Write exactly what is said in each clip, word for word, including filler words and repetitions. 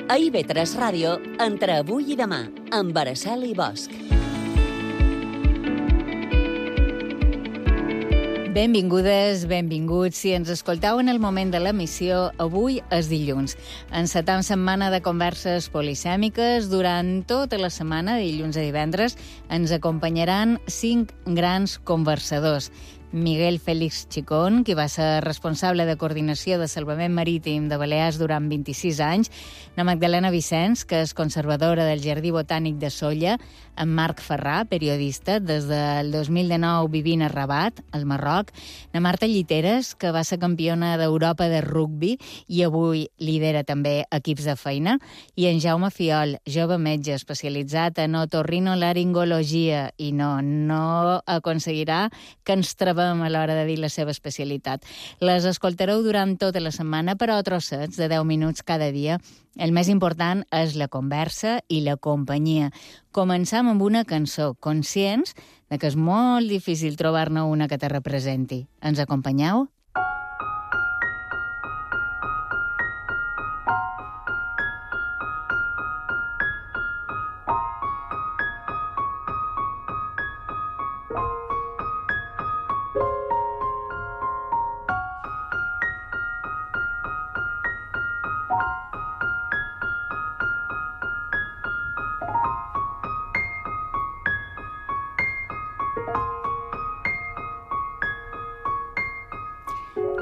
A I V tres Ràdio, entre avui i demà, amb Araceli Bosch. Benvingudes, benvinguts. Si ens escoltau en el moment de l'emissió, avui és dilluns. Encetam setmana de converses polisèmiques. Durant tota la setmana, de dilluns a divendres, ens acompanyaran cinc grans conversadors. Miguel Félix Chicón, qui va ser responsable de coordinació de salvament marítim de Balears durant vint-i-sis anys, la Magdalena Vicens, que és conservadora del Jardí Botànic de Sóller, en Marc Ferrà, periodista, des del dos mil dinou vivint a Rabat, al Marroc, la Marta Lliteres, que va ser campiona d'Europa de rugbi i avui lidera també equips de feina, i en Jaume Fiol, jove metge especialitzat en otorrinolaringologia, i no, no aconseguirà que ens treballem a l'hora de dir la seva especialitat. Les escoltareu durant tota la setmana, però a trossets de deu minuts cada dia. El més important és la conversa i la companyia. Començam amb una cançó, conscients de que és molt difícil trobar-ne una que te representi. Ens acompanyeu?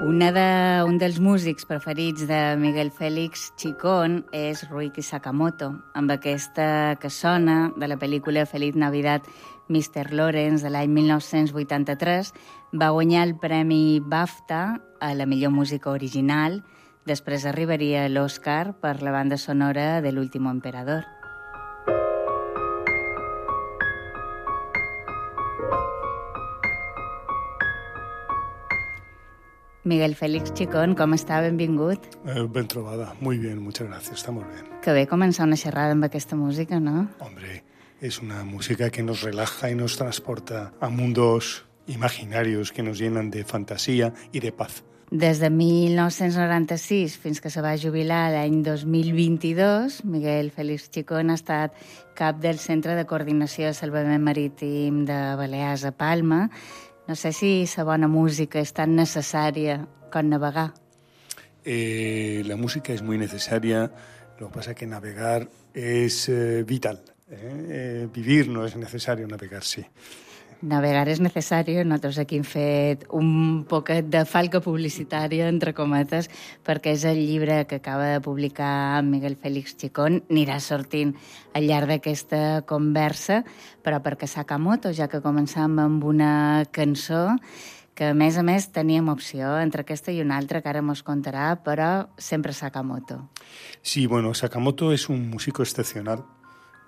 Una de, un dels músics preferits de Miguel Félix Chicón és Ryuichi Sakamoto, amb aquesta que sona de la pel·lícula Feliz Navidad, mister Lawrence, de l'any mil nou-cents vuitanta-tres, va guanyar el Premi BAFTA a la millor música original. Després arribaria l'Oscar per la banda sonora de l'Último Emperador. Miguel Félix Chicón, com està? Benvingut. Eh, ben trobada. Muy bien, muchas gracias. Estamos bien. Que bé començar una xerrada amb aquesta música, no? Hombre, es una música que nos relaja y nos transporta a mundos imaginarios que nos llenan de fantasía y de paz. Des de mil nou-cents noranta-sis fins que se va jubilar l'any dos mil vint-i-dos, Miguel Félix Chicón ha estat cap del Centre de Coordinació de Salvament Marítim de Balears a Palma. No sé si la bona música és tan necessària com navegar. Eh, la música es muy necesaria, lo que pasa es que navegar es eh, vital. Eh? Eh, vivir no es necesario, navegar sí. Navegar és necessari. Nosaltres aquí hem fet un poquet de falca publicitària, entre cometes, perquè és el llibre que acaba de publicar Miguel Félix Chicón. Anirà sortint al llarg d'aquesta conversa, però perquè Sakamoto, ja que començam amb una cançó, que a més a més teníem opció entre aquesta i una altra, que ara mos contarà, però sempre Sakamoto. Sí, bueno, Sakamoto es un músico excepcional.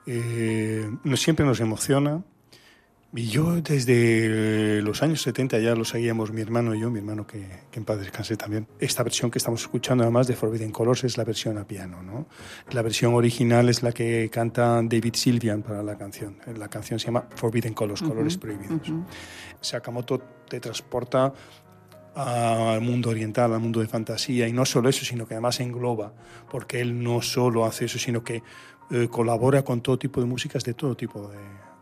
Eh, no, siempre nos emociona. Y yo desde los años setenta ya lo seguíamos mi hermano y yo, mi hermano que, que en paz descanse también. Esta versión que estamos escuchando además de Forbidden Colors es la versión a piano, ¿no? La versión original es la que canta David Sylvian para la canción. La canción se llama Forbidden Colors, uh-huh, Colores Prohibidos. Uh-huh. Sakamoto te transporta al mundo oriental, al mundo de fantasía, y no solo eso, sino que además engloba, porque él no solo hace eso, sino que eh, colabora con todo tipo de músicas de todo tipo de...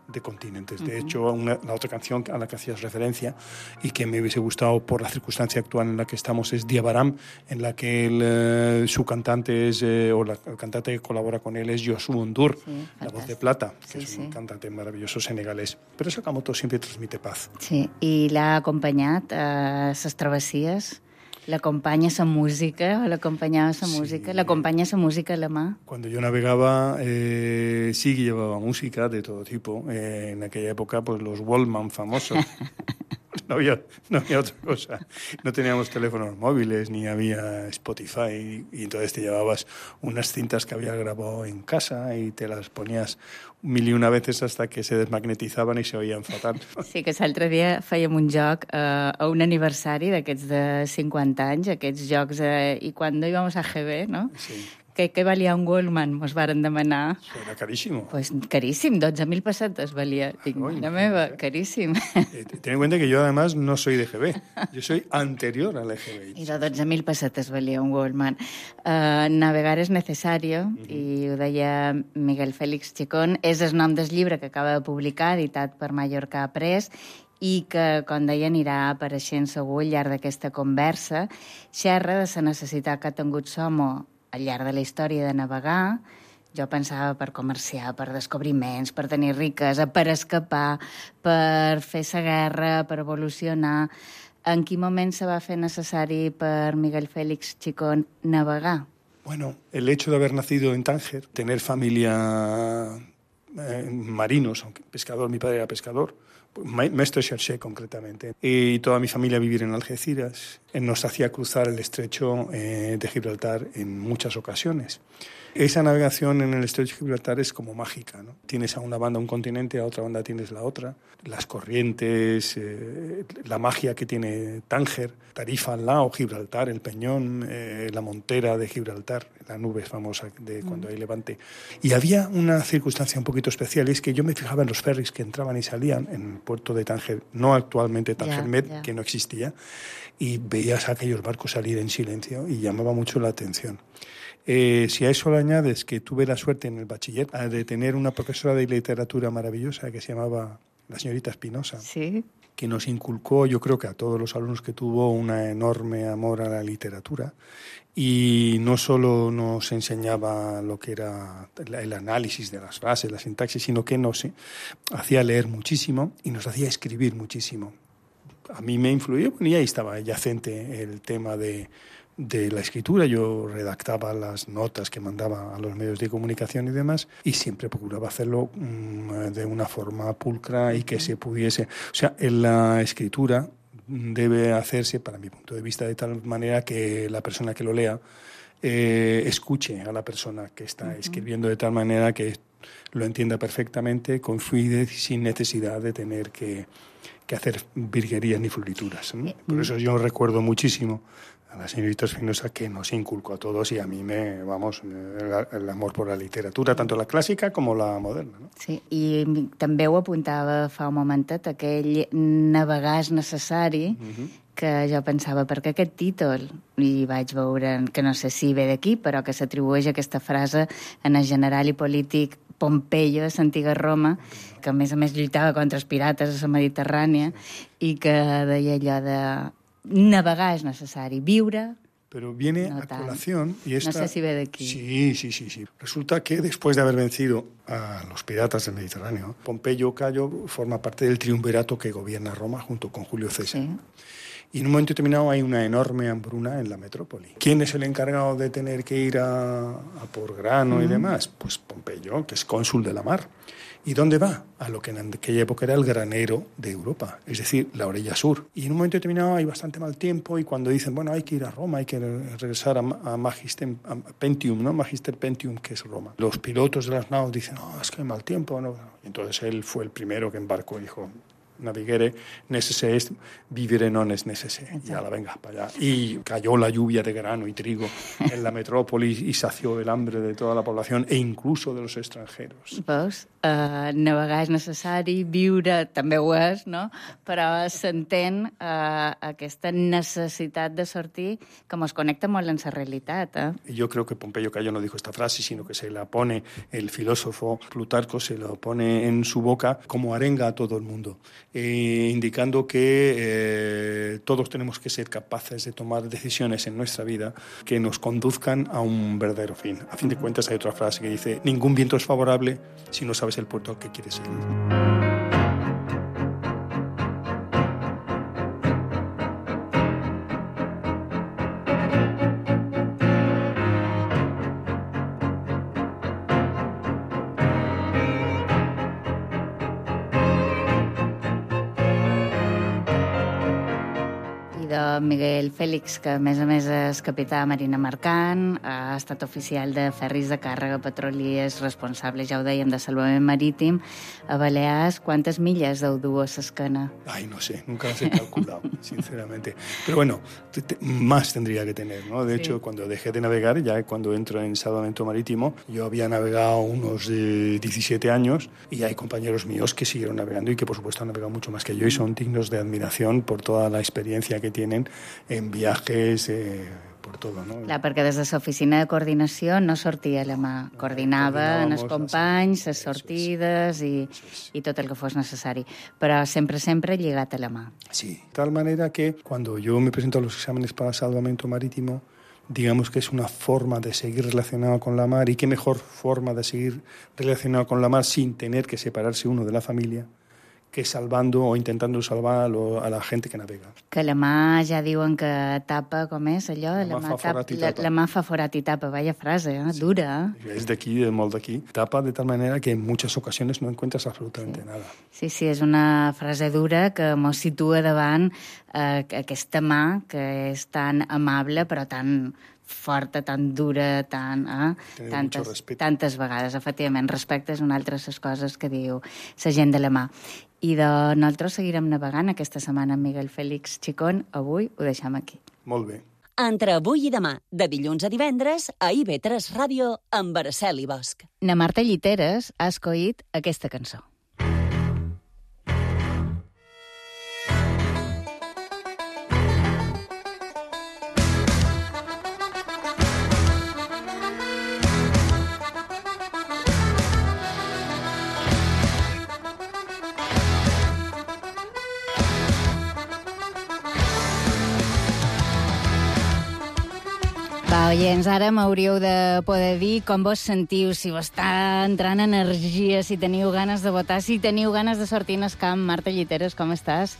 de continentes. De uh-huh. hecho, una, la otra canción a la que hacías referencia y que me hubiese gustado por la circunstancia actual en la que estamos es Diabaram, en la que él, eh, su cantante es, eh, o la, el cantante que colabora con él es Youssouf N'Dour, sí, la voz de plata, que sí, es un sí. cantante maravilloso senegalés. Pero Sakamoto siempre transmite paz. Sí, i l'ha acompanyat a ses travessies. ¿L'acompanya sa música o l'acompanyava sa sí. música? ¿L'acompanya sa música a la mà? Cuando yo navegaba, eh, sí que llevaba música de todo tipo. Eh, en aquella época, pues los Wallman famosos. No había, no había otra cosa. No teníamos teléfonos móviles, ni había Spotify, y entonces te llevabas unas cintas que habías grabado en casa y te las ponías mil y una veces hasta que se desmagnetizaban i se oïen fatal. Sí, que l'altre dia fèiem un joc eh, a un aniversari d'aquests de cinquanta anys, aquests jocs, eh, i quan íbamos a G B, no? Sí. què, què valia un Goldman? Mos varen demanar. Era carísimo. Pues caríssim, dotze mil pessetes valia. Dic, Ay, mare meva, ¿eh? caríssim. Eh, ten en cuenta que yo además no soy de E G B, yo soy anterior al E G B. I de dotze mil pessetes valia un Goldman. Uh, navegar és necessari, uh -huh. i ho deia Miguel Félix Chicón. És el nom del llibre que acaba de publicar, editat per Mallorca Press, i que, com deia, anirà apareixent segur al llarg d'aquesta conversa. Xerra de la necessitat que ha tingut Somo al llarg de la història de navegar. Jo pensava per comerciar, per descobriments, per tenir riquesa, per escapar, per fer la guerra, per evolucionar. En quin moment se va fer necessari per Miguel Félix Chicón navegar? Bueno, el hecho de haber nacido en Tánger, tener familia eh, marinos, aunque pescador, mi padre era pescador, maestro cherché concretamente, y toda mi familia vivir en Algeciras, nos hacía cruzar el estrecho eh, de Gibraltar en muchas ocasiones. Esa navegación en el estrecho de Gibraltar es como mágica, ¿no? Tienes a una banda un continente, a otra banda tienes la otra. Las corrientes, eh, la magia que tiene Tánger, Tarifa al lado, Gibraltar, el Peñón, eh, la montera de Gibraltar, la nube famosa de cuando hay levante. Y había una circunstancia un poquito especial, y es que yo me fijaba en los ferries que entraban y salían en el puerto de Tánger, no actualmente Tánger Med, yeah, yeah. que no existía, y veías a aquellos barcos salir en silencio y llamaba mucho la atención. Eh, si a eso le añades que tuve la suerte en el bachiller de tener una profesora de literatura maravillosa que se llamaba la señorita Espinosa, sí, que nos inculcó, yo creo que a todos los alumnos, que tuvo un enorme amor a la literatura, y no solo nos enseñaba lo que era el análisis de las frases, la sintaxis, sino que nos hacía leer muchísimo y nos hacía escribir muchísimo. A mí me influyó, y ahí estaba yacente el tema de de la escritura. Yo redactaba las notas que mandaba a los medios de comunicación y demás, y siempre procuraba hacerlo um, de una forma pulcra y que se pudiese... O sea, en la escritura debe hacerse, para mi punto de vista, de tal manera que la persona que lo lea eh, escuche a la persona que está uh-huh. escribiendo, de tal manera que lo entienda perfectamente, con fluidez, sin necesidad de tener que, que hacer virguerías ni florituras, ¿no? Por eso yo recuerdo muchísimo a la señorita Espinosa, que nos inculcó a todos, y a mí me, vamos, el, el amor por la literatura, tanto la clàssica com la moderna, no? Sí, i també ho apuntava fa un momentet, aquell navegar és necessari, uh-huh. que jo pensava, per què aquest títol? I vaig veure, que no sé si ve d'aquí, però que s'atribueix aquesta frase en el general i polític Pompeyo, de l'antiga Roma, que a més a més lluitava contra els pirates a la Mediterrània, i que deia allò de navegar es necesario, viure... Pero viene no a colación... Y esta... No sé si ve de aquí. Sí, sí, sí, sí. Resulta que después de haber vencido a los piratas del Mediterráneo, Pompeyo Cayo forma parte del triunvirato que gobierna Roma junto con Julio César. Sí. Y en un momento determinado hay una enorme hambruna en la metrópoli. ¿Quién es el encargado de tener que ir a, a por grano mm. y demás? Pues Pompeyo, que es cónsul de la mar. ¿Y dónde va? A lo que en aquella época era el granero de Europa, es decir, la orilla sur. Y en un momento determinado hay bastante mal tiempo, y cuando dicen, bueno, hay que ir a Roma, hay que regresar a, a Magister a Pentium, ¿no? Magister Pentium, que es Roma. Los pilotos de las naves dicen, no, es que hay mal tiempo, ¿no? Y entonces él fue el primero que embarcó y dijo, navigare necesse est, vivere non es necesse. Y ala, venga, para allá. Y cayó la lluvia de grano y trigo en la metrópoli y sació el hambre de toda la población e incluso de los extranjeros. Veus? Uh, navegar és necessari, viure també ho és, no? Però s'entén uh, aquesta necessitat de sortir que ens connecta molt en la realitat. Eh? Yo creo que Pompeyo Cayo no dijo esta frase, sino que se la pone el filósofo Plutarco, se lo pone en su boca como arenga a todo el mundo, eh, indicando que eh, todos tenemos que ser capaces de tomar decisiones en nuestra vida que nos conduzcan a un verdadero fin. A fin de cuentas, hay otra frase que dice, ningún viento es favorable si no sabes el puerto al que quieres ir. Miguel Fèlix, que a més a més és capità de Marina Mercant, ha estat oficial de ferris de càrrega, petroliers, responsable, ja ho dèiem, de salvament marítim. A Balears, ¿cuántas millas deu dur a l'esquena? Ay, no sé, nunca las he calculado, sinceramente. Pero bueno, te, te, más tendría que tener, ¿no? De sí. hecho, cuando dejé de navegar, ya cuando entro en salvamento marítimo, yo había navegado unos eh, diecisiete años y hay compañeros míos que siguieron navegando y que, por supuesto, han navegado mucho más que yo y son dignos de admiración por toda la experiencia que tienen en viajes, eh, por todo, no? Clar, perquè des de l'oficina de coordinació no sortia la mà, coordinava en els companys, les sortides i, i tot el que fos necessari, però sempre, sempre lligat a la mà. Sí, de tal manera que cuando yo me presento a los exámenes para salvamento marítimo, digamos que es una forma de seguir relacionado con la mar, y qué mejor forma de seguir relacionado con la mar sin tener que separarse uno de la familia que salvando o intentando salvar a, lo, a la gente que navega. Que la mà ja diuen que tapa, com és allò? La, la, mà, mà, fa tap, la, la mà fa forat i tapa, vaya frase, ¿eh? Sí. Dura. Es de aquí, de molt d'aquí. Tapa de tal manera que en muchas ocasiones no encuentras absolutamente sí. nada. Sí, sí, és una frase dura que mos situa davant eh, aquesta mà que és tan amable però tan forta, tan dura, tan, eh? tantes, tantes vegades. Efectivament, respecte és una altra de les coses que diu la gent de la mà. I de nosaltres seguirem navegant aquesta setmana amb Miguel Fèlix Chicón. Avui ho deixem aquí. Molt bé. Entre avui i demà, de dilluns a divendres, a I V tres Ràdio, amb Araceli Bosch. Na Marta Lliteres ha escollit aquesta cançó. Va, oients, ara m'hauríeu de poder dir com vos sentiu, si vos està entrant energia, si teniu ganes de votar, si teniu ganes de sortir en el camp. Marta Lliteres, com estàs?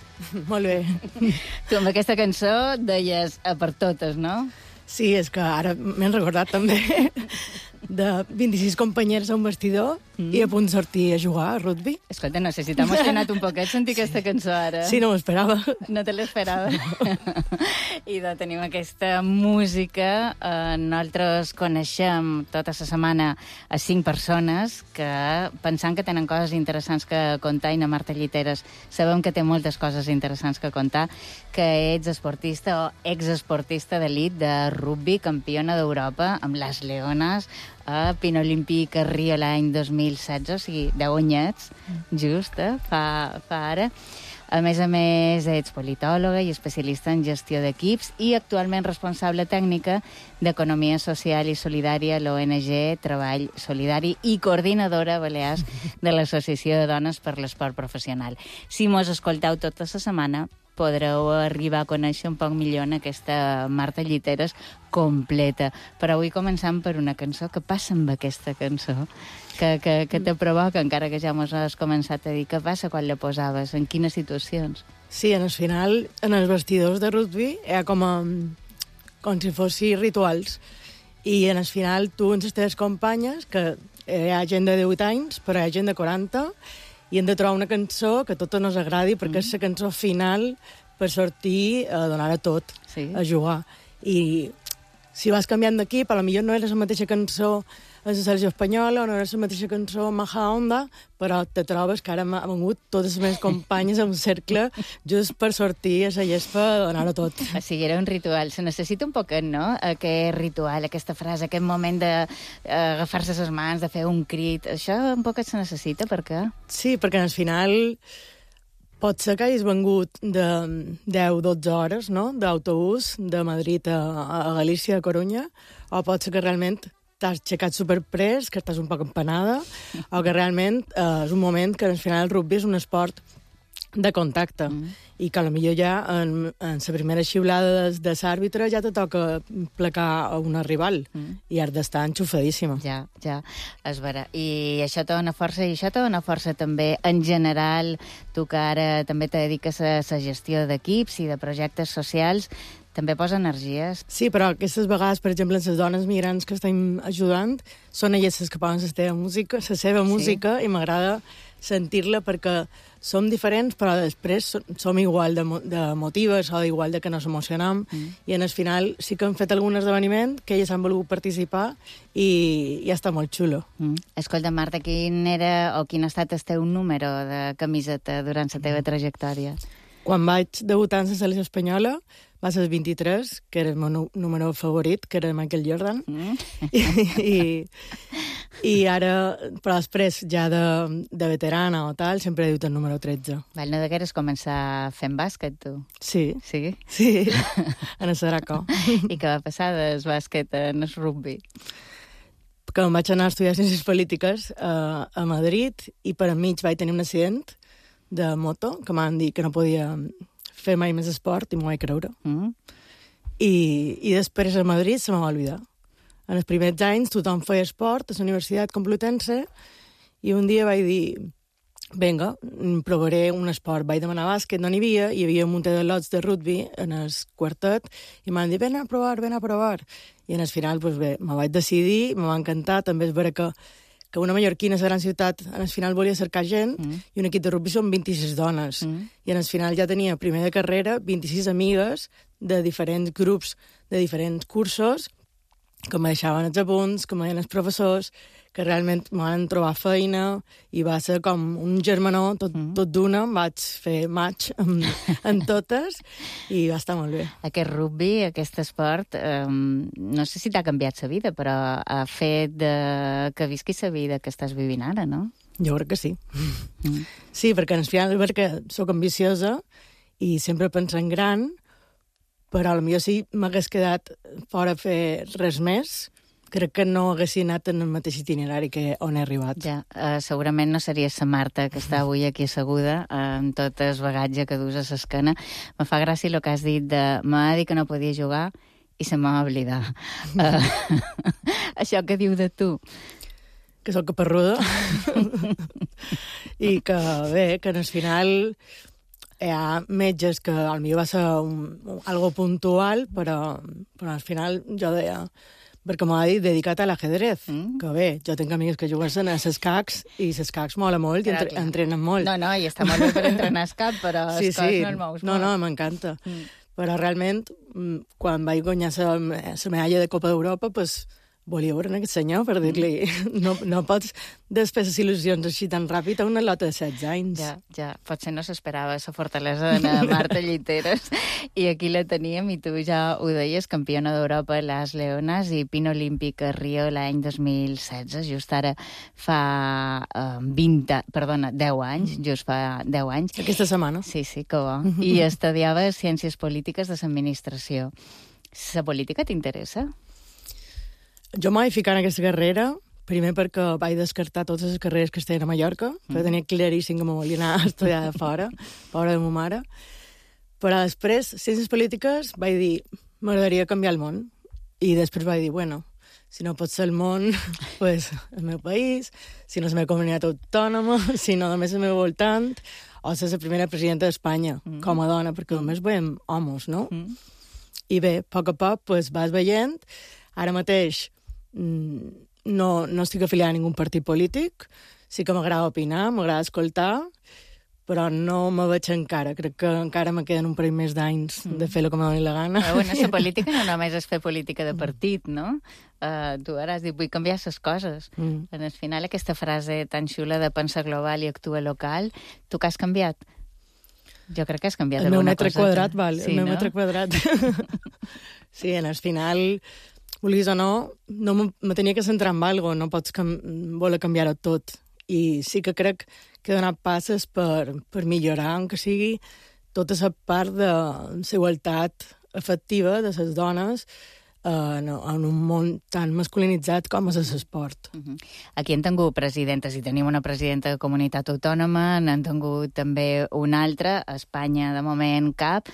Molt bé. Tu amb aquesta cançó deies a per totes, no? Sí, és que ara m'he recordat també de vint-i-sis companyeros a un vestidor mm. i a punt de sortir a jugar a rugby. Escolta, no sé si t'ha emocionat un poquet sentir sí. aquesta cançó ara. Sí, no m'ho esperava. No te l'esperava. I de tenim aquesta música. Eh, nosaltres coneixem tota la setmana a cinc persones que, pensant que tenen coses interessants que contar, i na Marta Lliteres sabem que té moltes coses interessants que contar, que ets esportista o exesportista d'elit de rugby, campiona d'Europa amb les Leones, a Pino Olímpic a Rio l'any dos mil setze, o sigui, deu anyets, just, eh? fa, fa ara. A més a més, ets politòloga i especialista en gestió d'equips i actualment responsable tècnica d'Economia Social i Solidària a l'O N G Treball Solidari i coordinadora a Balears de l'Associació de Dones per l'Esport Professional. Si mos escolteu tota la setmana, podreu arribar a conèixer un poc millor en aquesta Marta Lliteres completa. Però avui començam per una cançó. Què passa amb aquesta cançó? Que, que, que te provoca, encara que ja mos has començat a dir. Què passa quan la posaves? En quines situacions? Sí, en el final, en els vestidors de rugby, era com, a, com si fossin rituals. I en el final, tu amb les teves companyes, que hi ha gent de divuit anys, però hi ha gent de quaranta, i hem de trobar una cançó que a totes nos agradi, perquè mm. és la cançó final per sortir a donar a tot, sí. a jugar. I si vas canviant d'equip, potser no era la mateixa cançó a la selecció espanyola, o no era la mateixa cançó a Maja Onda, però te trobes que ara han vengut totes les meves companyes en un cercle just per sortir a la gespa a donar-ho tot. O sigui, era un ritual. Se necessita un poquet, no?, aquest ritual, aquesta frase, aquest moment d'agafar-se les mans, de fer un crit. Això un poquet se necessita, per què? Sí, perquè al final pot ser que hagis vengut de deu a dotze hores, no?, d'autobús de Madrid a, a Galícia, a Corunya, o pot ser que realment t'has aixecat superpres, que estàs un poc empanada, o que realment eh, és un moment que al final el rugby és un esport de contacte, mm. i que potser ja en, en la primera xiulada de, de l'àrbitre ja te toca placar a una rival, mm. i has d'estar enxufadíssima. Ja, ja, és vera. I això te dona força, i això te dona força també en general, tu que ara també te dediques a la gestió d'equips i de projectes socials, també posa energies. Sí, però aquestes vegades, per exemple, les dones migrants que estem ajudant, són elles les que posen la seva música, la seva sí. música, i m'agrada sentir-la perquè som diferents, però després som igual de, de motives o igual de que nos emocionam, mm. i en el final sí que hem fet algun esdeveniment que elles han volgut participar i, i està molt xulo. Mm. Escolta, Marta, quin era o quin ha estat el teu número de camiseta durant la teva trajectòria? Quan vaig debutar en la selecció espanyola va ser el vint-i-tres, que era el meu número favorit, que era Michael Jordan. Mm. I, i, I ara, però després, ja de, de veterana o tal, sempre he dit el número tretze. Val, no degueres començar fent bàsquet, tu? Sí. Sí? Sí, en el Saraco. I què va passar del bàsquet en el rugby? Que em vaig anar a estudiar Ciències Polítiques a, a Madrid i per enmig vaig tenir un accident de moto, que m'han dit que no podia fer mai més esport i m'ho vaig creure. Mm. I, I després a Madrid se m'ha oblidat. En els primers anys tothom feia esport a la Universitat Complutense i un dia vaig dir, vinga, provaré un esport. Vaig demanar bàsquet, no n'hi havia, hi havia un munt de lots de rugby en el quartet i m'han dit, ven a provar, ven a provar. I en el final, doncs bé, me vaig decidir, me va encantar, també és vera que que una mallorquina a la gran ciutat en el final volia cercar gent mm. i un equip de rugby són vint-i-sis dones. Mm. I en el final ja tenia, primer de carrera, vint-i-sis amigues de diferents grups, de diferents cursos, que me deixaven els apunts, que me deien els professors, que realment me van trobar feina i va ser com un germanó, tot, mm. tot d'una, vaig fer match amb, amb totes i va estar molt bé. Aquest rugby, aquest esport, eh, no sé si t'ha canviat la vida, però ha fet de... que visquis la vida que estàs vivint ara, no? Jo crec que sí. Mm. Sí, perquè al final perquè soc ambiciosa i sempre penso en gran, però potser si m'hagués quedat fora a fer res més, crec que no hagués anat en el mateix itinerari que on he arribat. Ja, uh, segurament no series la Marta que està avui aquí asseguda, uh, amb tot el bagatge que dus a l'esquena. Me fa gràcia el que has dit de m'ha dit que no podia jugar i se m'ha oblidat. Uh, això que diu de tu? Que sóc caparruda. I que bé, que al final hi ha metges que potser va ser un, un, algo puntual, però, però al final jo deia, perquè m'ha dit dedicat a l'ajedrez, mm. que bé, jo tinc amics que juguen a les cacs i les cacs mola molt i entre, entrenen molt. No, no, i està molt bé per entrenar el cap, però sí, els sí. no el mous molt. No, no, m'encanta. Mm. Però realment, quan vaig guanyar la medalla de Copa d'Europa, pues, volia veure aquest senyor per dir-li no, no pots després les il·lusions així tan ràpid a una lota de setze anys. Ja, ja. Potser no s'esperava la fortalesa de Marta Lliteres i aquí la teníem i tu ja ho deies, campiona d'Europa a les Leones i pin olímpic a Rio l'any dos mil setze, just ara fa uh, vint, perdona, deu anys, just fa deu anys. Aquesta setmana. Sí, sí, que bo. I estudiava Ciències Polítiques de l'Administració. La política t'interessa? Jo m'ho vaig ficar en aquesta carrera, primer perquè vaig descartar totes les carreres que estaven a Mallorca, mm. perquè tenia claríssim que me volia anar a estudiar de fora, fora de ma mare. Però després, Ciències Polítiques, vaig dir, m'agradaria canviar el món. I després vaig dir, bueno, si no pot ser el món, pues el meu país, si no és la meva comunitat autònoma, si no només el meu voltant, o ser la primera presidenta d'Espanya, mm. com a dona, perquè només veiem homes, no? Mm. I bé, a poc a poc, pues, vas veient. Ara mateix no, no estic afiliada a ningú partit polític, sí que m'agrada opinar, m'agrada escoltar, però no me veig encara. Crec que encara me queden un parell més d'anys mm. de fer el que me doni la gana. Però bueno, la política no només és fer política de partit, no? Uh, tu ara has dit, vull canviar les coses. Mm. En el final, aquesta frase tan xula de pensar global i actuar local, tu que has canviat? Jo crec que has canviat el alguna cosa. El meu metre cosa, quadrat, val, sí, el meu no? metre quadrat. Sí, en el final, vulguis o no, no me tenia que centrar en algo, no pots cam voler canviar-ho tot. I sí que crec que he donat passes per, per millorar, encara sigui tota la part de la igualtat efectiva de les dones en, en un món tan masculinitzat com és l'esport. Uh -huh. Aquí hem tingut presidentes i tenim una presidenta de comunitat autònoma, n'han tingut també una altra, a Espanya de moment cap,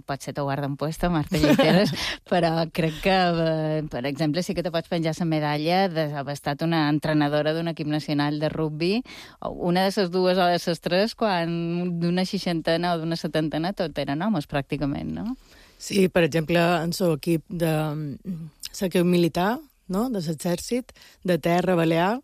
potser t'ho guarden puesta, Marta Lliteres, però crec que, per exemple, sí que te pots penjar la medalla d'haver estat una entrenadora d'un equip nacional de rugby, una de les dues o de les tres, quan d'una seixantena o d'una setantena tot eren homes, pràcticament, no? Sí, per exemple, en el equip de l'equip militar, no?, de l'exèrcit, de terra, balear,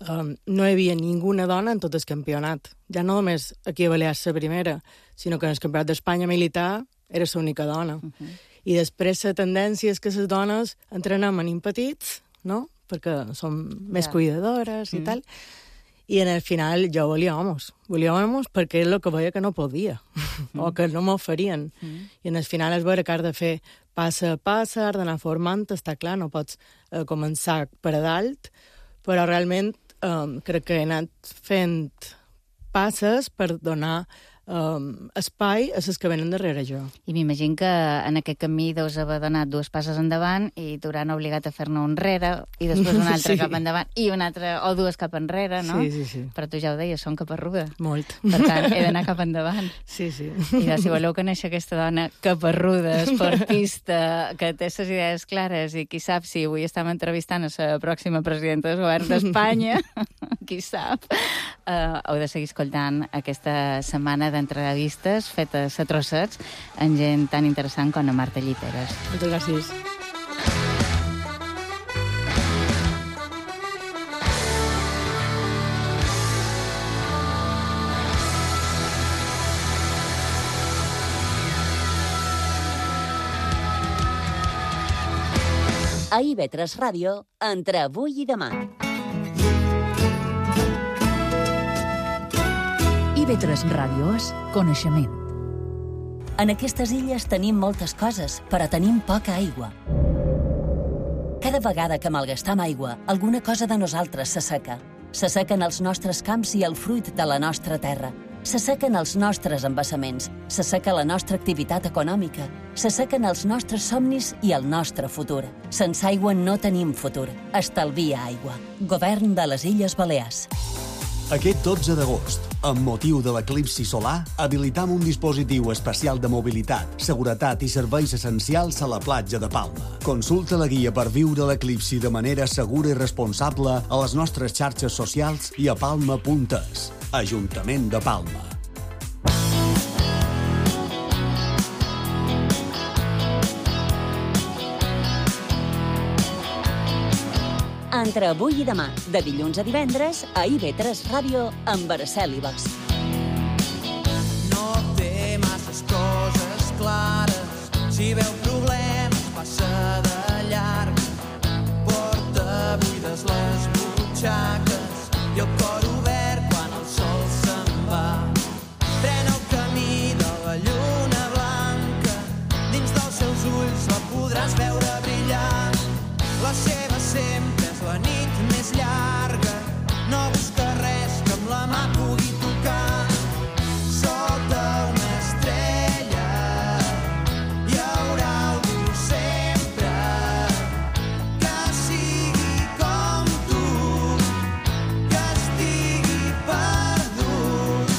um, no hi havia ninguna dona en tot el campionat. Ja no només aquí a Balears la primera, sinó que en el campionat d'Espanya militar era l'única dona. Uh -huh. I després la tendència és que les dones entrenem en petits, no?, perquè som més yeah. cuidadores i mm. tal, i en el final jo volia homes. Volia homes perquè és el que veia que no podia, mm. o que no m'oferien. Mm. I en el final és veure que has de fer passa a passa, has d'anar formant, està clar, no pots eh, començar per a dalt, però realment eh, crec que he anat fent passes per donar Um, espai a les que venen darrere jo. I m'imagino que en aquest camí deus haver donat dues passes endavant i t'hauran obligat a fer-ne un enrere i després una altra sí. cap endavant i una altra, o dues cap enrere, no? Sí, sí, sí. Però tu ja ho deies, són caparruda. Molt. Per tant, he d'anar cap endavant. Sí, sí. I doncs, si voleu conèixer aquesta dona caparruda, esportista, que té les idees clares i qui sap si avui estem entrevistant a la pròxima presidenta del govern d'Espanya, qui sap, uh, heu de seguir escoltant aquesta setmana de entrevistes fetes a trossets amb gent tan interessant com a Marta Lliteres. Moltes gràcies. A I V tres Ràdio, entre avui i demà. I V tres Ràdio és coneixement. En aquestes illes tenim moltes coses, però tenim poca aigua. Cada vegada que malgastam aigua, alguna cosa de nosaltres s'asseca. S'assequen els nostres camps i el fruit de la nostra terra. S'assequen els nostres embassaments, s'asseca la nostra activitat econòmica, s'assequen els nostres somnis i el nostre futur. Sense aigua no tenim futur. Estalvia aigua. Govern de les Illes Balears. Aquest dotze d'agost, amb motiu de l'eclipsi solar, habilitam un dispositiu especial de mobilitat, seguretat i serveis essencials a la platja de Palma. Consulta la guia per viure l'eclipsi de manera segura i responsable a les nostres xarxes socials i a palma punt es. Ajuntament de Palma. Entre avui i demà, de dilluns a divendres, a I V tres Ràdio, amb Araceli Bosch. No té masses coses clares, si veu problemes passa de llarg. Porta buides les butxaques i el cor obert quan el sol se'n va. Pren el camí de la lluna blanca, dins dels seus ulls la podràs veure brillar. La seva sempre és la nit més llarga, no busca res que amb la mà pugui tocar. Sota una estrella hi haurà algú sempre que sigui com tu, que estigui perdut.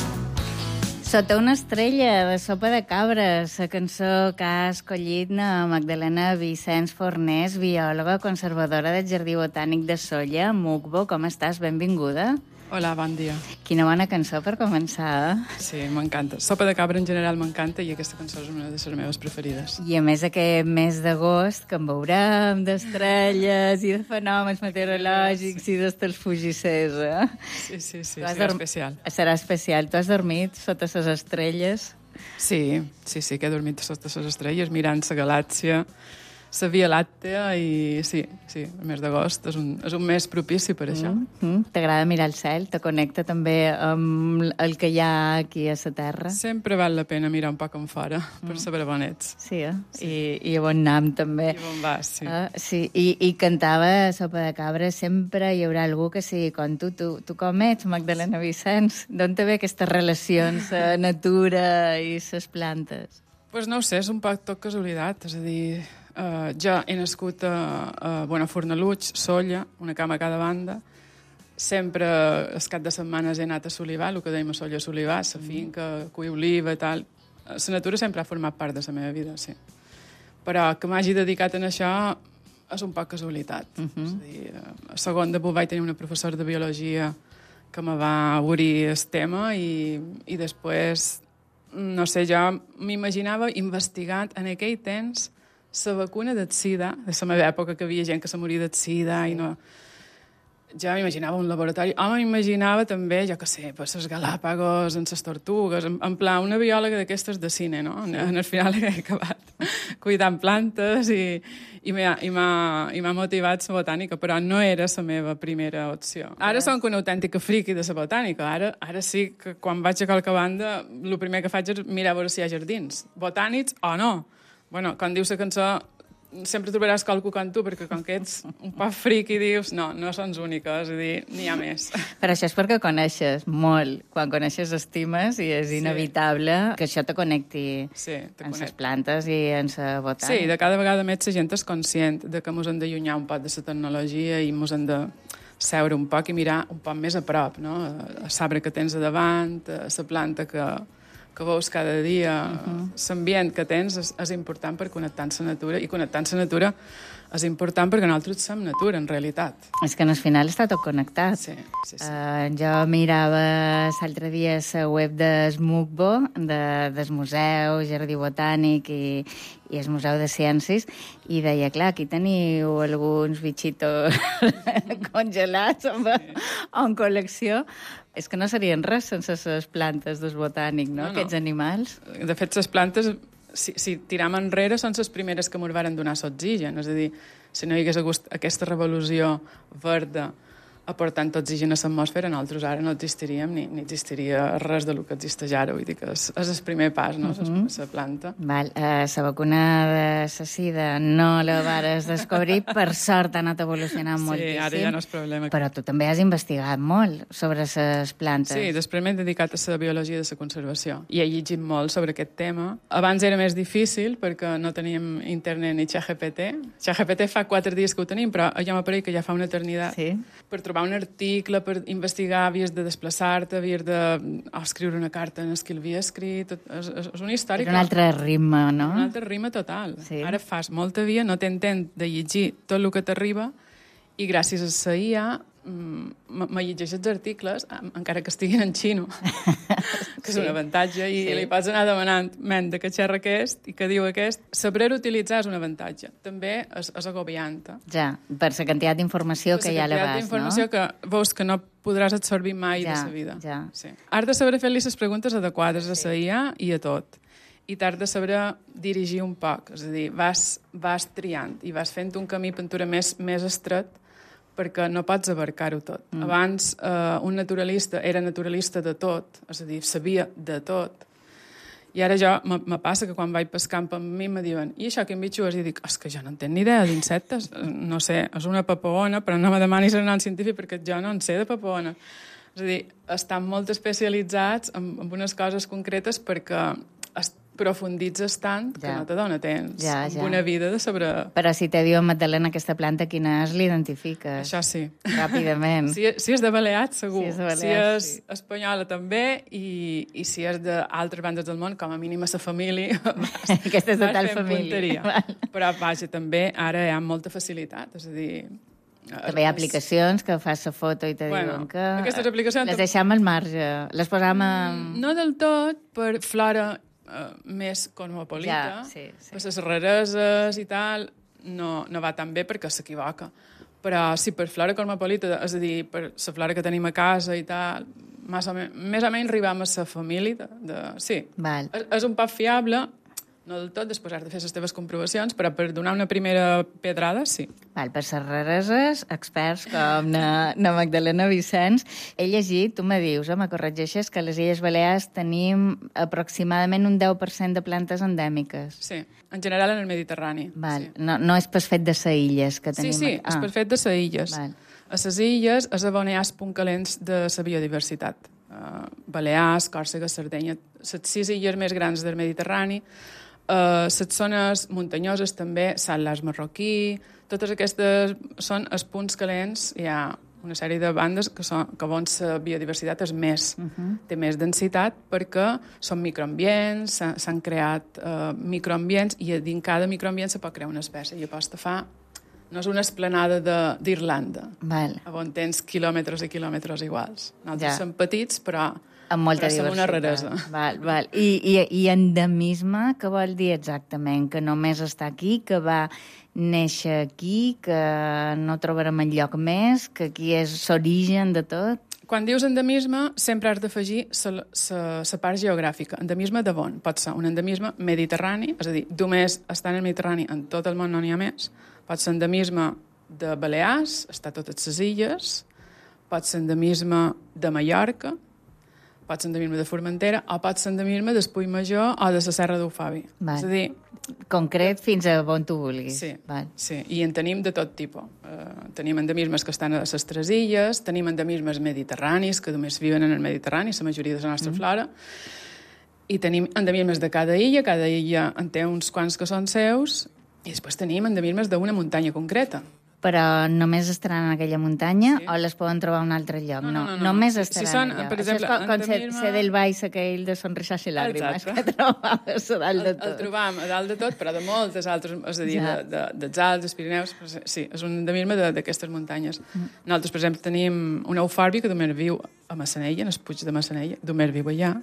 Sota una estrella, de Sopa de Cabres, la cançó que ha escollit na Magdalena Vicenç Fornés, biòloga conservadora del Jardí Botànic de Sóller. Mugbo, com estàs? Benvinguda. Hola, bon dia. Quina bona cançó per començar. Sí, m'encanta. Sopa de cabra en general m'encanta i aquesta cançó és una de les meves preferides. I a més aquest mes d'agost, que en veurem d'estrelles i de fenòmens meteorològics sí. i d'estels fugissers, eh? Sí, sí, sí, serà dorm... especial. Serà especial. Tu has dormit sota les estrelles? Sí, sí, sí, que he dormit sota les estrelles mirant la galàxia, la Via Làctea i sí, sí, el mes d'agost és, un, és un mes propici per això. Mm, mm. T'agrada mirar el cel? Te connecta també amb el que hi ha aquí a la Terra? Sempre val la pena mirar un poc en fora mm. per saber on ets. Sí, eh? Sí. I, i a on anem també. I on vas, sí. Uh, sí. I, I cantava Sopa de Cabra, sempre hi haurà algú que sigui com tu. Tu, tu com ets, Magdalena Vicenç? D'on te ve aquestes relacions, la natura i les plantes? Pues no ho sé, és un poc tot casualitat, és a dir... Uh, jo he nascut a, a Bonafornaluig, Sóller, una cama a cada banda. Sempre, el cap de setmanes, he anat a Solivar, el que dèiem a Sóller Solivar, la finca, cuir oliva i tal. La natura sempre ha format part de la meva vida, sí. Però que m'hagi dedicat a això és un poc casualitat. Uh -huh. És a dir, a segon de vaig tenir una professora de biologia que me va obrir el tema i, i després, no sé, jo m'imaginava investigant en aquell temps la vacuna del sida, de la meva època que havia gent que se moria del sida i no... ja m'imaginava un laboratori, o m'imaginava també, jo què sé, per les Galàpagos, en les tortugues, en, en pla, una biòloga d'aquestes de cine, no? Sí. En el final he acabat cuidant plantes i, i m'ha motivat la botànica, però no era la meva primera opció. Ara som una autèntica friqui de la botànica. Ara, ara sí que quan vaig a qualque banda, el primer que faig és mirar a veure si hi ha jardins. Botànics o no? Bueno, quan dius la cançó, sempre trobaràs qualcú com tu, perquè com que ets un poc fric i dius, no, no són úniques, és a dir, n'hi ha més. Però això és perquè coneixes molt. Quan coneixes estimes i és sí. inevitable que això te connecti sí, te en connect. les plantes i en la botànica. Sí, de cada vegada més la gent és conscient de que ens hem d'allunyar un poc de la tecnologia i ens hem de seure un poc i mirar un poc més a prop, no? A l'arbre que tens a davant, a la planta que que veus cada dia, uh-huh. l'ambient que tens és, és important per connectar amb la natura, i connectar amb la natura és important perquè nosaltres som natura, en realitat. És que en el final està tot connectat. Sí, sí, sí. Uh, jo mirava l'altre dia la web d'Smugbo, de, del Museu Jardí Botànic i, i el Museu de Ciències, i deia, clar, aquí teniu alguns bitxitos congelats en, sí. en col·lecció. És que no serien res sense les plantes del botànic, no? no, no. Aquests animals. De fet, les plantes, si, si tiram enrere, són les primeres que ens varen donar l'oxigen. És a dir, si no hi hagués hagut aquesta revolució verda aportant oxigen a l'atmosfera, nosaltres ara no existiríem ni, ni existiria res del que existeix ara. Vull dir que és, és el primer pas, no?, la uh -huh. planta. Val. Uh, la vacuna de la sida no la vares descobrir, per sort ha anat evolucionant sí, moltíssim. Sí, ara ja no és problema. Però tu també has investigat molt sobre les plantes. Sí, després m'he dedicat a la biologia de la conservació i he llegit molt sobre aquest tema. Abans era més difícil perquè no teníem internet ni ChatGPT. ChatGPT fa quatre dies que ho tenim, però jo m'apareix que ja fa una eternitat. Sí. Per trobar un article, per investigar, havies de desplaçar-te, havies de oh, escriure una carta en el que l'havia escrit. És, és, és una història... És un altre ritme, no? Un altre ritme total. Sí. Ara fas molta via, no t'entén de llegir tot el que t'arriba, i gràcies a la I A me llegeix els articles, encara que estiguin en xino, que és sí. un avantatge, i sí. li pots anar demanant, men, de què xerra aquest i què diu aquest. Saber utilitzar és un avantatge. També és, és agobiant. Ja, per la quantitat d'informació que hi ha a l'abast, no? Per la quantitat d'informació que veus que no podràs absorbir mai ja, de la vida. Ja. Sí. Has de saber fer-li les preguntes adequades sí. a la I A i a tot. I t'has de saber dirigir un poc. És a dir, vas, vas triant i vas fent un camí pintura més, més estret, perquè no pots abarcar-ho tot. Mm. Abans, eh, un naturalista era naturalista de tot, és a dir, sabia de tot. I ara jo, me passa que quan vaig pel camp amb mi me diuen, i això, quin bitxo és? I dic, és que jo no en tenc ni idea d'insectes. No sé, és una papaona, però no me demanis el nom científic perquè jo no en sé de papaona. És a dir, estan molt especialitzats en, en unes coses concretes perquè profunditzes tant que ja. no te dona temps. Ja, ja. Una vida de sobre... Però si te diuen, Magdalena, aquesta planta, quina és, l'identifiques. Això sí. Ràpidament. Si, si és de Balears, segur. Si és, de Balears, si és sí. espanyola, també, i, i si és d'altres bandes del món, com a mínim a la família, vas, aquesta és de tal família. Però, vaja, també ara hi ha molta facilitat, és a dir... També hi ha aplicacions que fas la foto i te bueno, diuen que... Aquestes aplicacions... Les deixem al marge, les posam en... No del tot, per flora Uh, més cosmopolita, ja, sí, sí. per les rareses i tal, no, no va tan bé perquè s'equivoca. Però sí, per flora cosmopolita, és a dir, per la flora que tenim a casa i tal, més o, me, més o menys arribam a la família. De, de, sí, Val. És, és un poc fiable, no del tot, després has de fer les teves comprovacions, però per donar una primera pedrada, sí. Val, per les rareses, experts com na, na Magdalena Vicenç, he llegit, tu me dius, eh, me corregeixes, que a les Illes Balears tenim aproximadament un deu per cent de plantes endèmiques. Sí, en general en el Mediterrani. Val. Sí. No, no és per fet de les illes que tenim. Sí, sí, ah. és per fet de les illes. Val. A les illes és on hi ha els punts calents de la biodiversitat. Uh, Balears, Còrsega, Sardenya, les sis illes més grans del Mediterrani, uh, les zones muntanyoses també, Sant Lars Marroquí, totes aquestes són els punts calents. Hi ha una sèrie de bandes que, són, que on la biodiversitat és més, uh -huh. té més densitat perquè són microambients, s'han creat uh, microambients i dins cada microambient se pot crear una espècie i aposta fa no és una esplanada de- d'Irlanda, Val. on tens quilòmetres i quilòmetres iguals. Nosaltres Ja. som petits, però, Amb molta però som diversitat. una raresa. Val, val. I, i, I endemisme, què vol dir exactament? Que només està aquí, que va néixer aquí, que no trobarem enlloc més, que aquí és l'origen de tot? Quan dius endemisme, sempre has d'afegir la part geogràfica. Endemisme de on? Pot ser un endemisme mediterrani, és a dir, només està en el Mediterrani, en tot el món no n'hi ha més. Pot ser endemisme de Balears, està a totes les illes, pot ser endemisme de Mallorca, pot ser endemisme de Formentera, o pot ser endemisme d'Espull Major o de la Serra d'Ufavi. Val. És a dir, Concret fins a on tu vulguis. sí, Val. sí, i en tenim de tot tipus. Uh, tenim endemismes que estan a les tres illes, tenim endemismes mediterranis, que només viuen en el Mediterrani, la majoria de la nostra mm. flora, i tenim endemismes de cada illa, cada illa en té uns quants que són seus, i després tenim endemismes d'una muntanya concreta. Però només estaran en aquella muntanya Sí. o les poden trobar a un altre lloc? No, no, no, no. Només Si- estaran si són, allà. per Això exemple, és com, com endemisme- ser del baix aquell de Sonrisas i Làgrimes, Exacte. que trobaves a dalt de El, el tot. trobam a dalt de tot, però de moltes altres, és a dir, Ja. de, de, dels Alps, dels Pirineus, però sí, és un endemisme de- d'aquestes muntanyes. Mm. Nosaltres, per exemple, tenim un eufòrbi que només viu a Massanella, en el Puig de Massanella, només viu allà.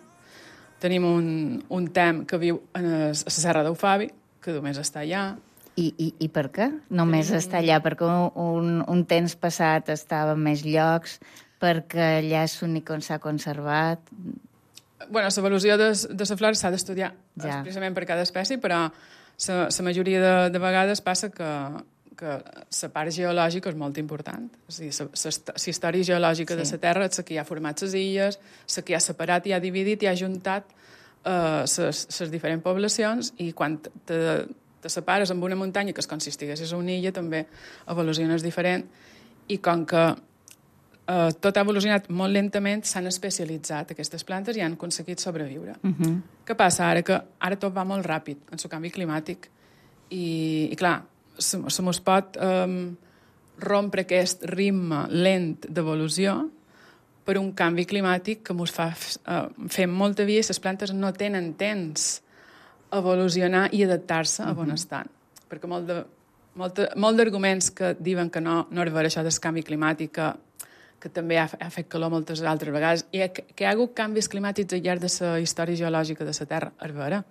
Tenim un, un tem que viu en el, a la Serra d'Eufavi, que només està allà. I, i, I per què? Només està allà perquè un, un temps passat estava en més llocs, perquè allà és l'únic on s'ha conservat. Bueno, l'evolució de, de la flora s'ha d'estudiar Ja. expressament per cada espècie, però la majoria de, de vegades passa que, que la part geològica és molt important. És a dir, la història geològica sí. de la Terra és la que hi ha format les illes, la que hi ha separat, hi ha dividit, hi ha juntat les uh, diferents poblacions, i quan te, te separes amb una muntanya que es consistigués en una illa, també evoluciones diferent, i com que uh, tot ha evolucionat molt lentament, s'han especialitzat aquestes plantes i han aconseguit sobreviure. Uh -huh. Què passa ara? Que ara tot va molt ràpid en el canvi climàtic, i, i clar, se, se mos pot um, rompre aquest ritme lent d'evolució per un canvi climàtic que mos fa uh, fer molta via, i les plantes no tenen temps a evolucionar i adaptar-se a on estan. Perquè molt de, molt, molt d'arguments que diuen que no, no és vera això del canvi climàtic, que, que també ha, ha fet calor moltes altres vegades, i que, que hi ha hagut canvis climàtics al llarg de la història geològica de la Terra, és vera,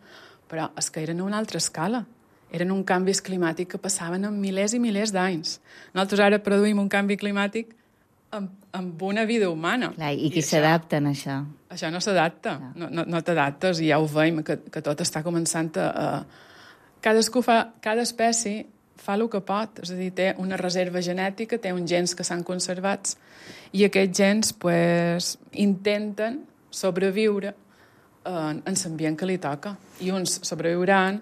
però és que eren a una altra escala. Eren un canvis climàtics que passaven en milers i milers d'anys. Nosaltres ara produïm un canvi climàtic amb, amb una vida humana. Clar, I qui s'adapta a això? Això no s'adapta, no, no, no t'adaptes, i ja ho veiem, que, que tot està començant a... a... Cadascú fa, cada espècie fa el que pot, és a dir, té una reserva genètica, té uns gens que s'han conservats, i aquests gens pues, intenten sobreviure en, en l'ambient que li toca, i uns sobreviuran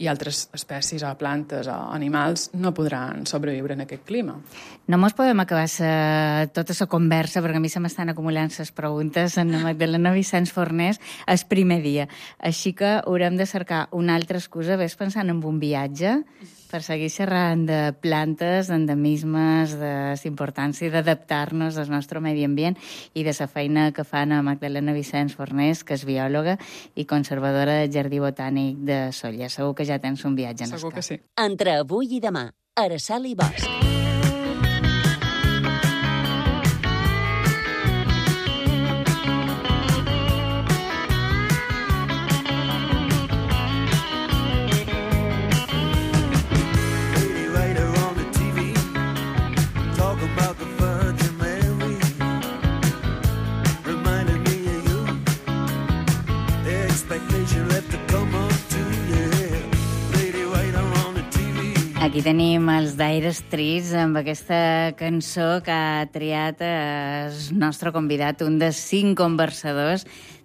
i altres espècies o plantes o animals no podran sobreviure en aquest clima. No mos podem acabar sa, tota la conversa, perquè a mi se m'estan acumulant les preguntes en la Magdalena Vicenç Fornés el primer dia. Així que haurem de cercar una altra excusa, ves pensant en un viatge, per seguir xerrant de plantes, d'endemismes, de l'importància d'adaptar-nos al nostre medi ambient i de la feina que fan a Magdalena Vicenç Fornés, que és biòloga i conservadora del Jardí Botànic de Sóller. Segur que ja tens un viatge en Segur escap. que sí. Entre avui i demà, Araçal i Bosch. Aquí tenim els Dire Straits amb aquesta cançó que ha triat el nostre convidat, un dels cinc conversadors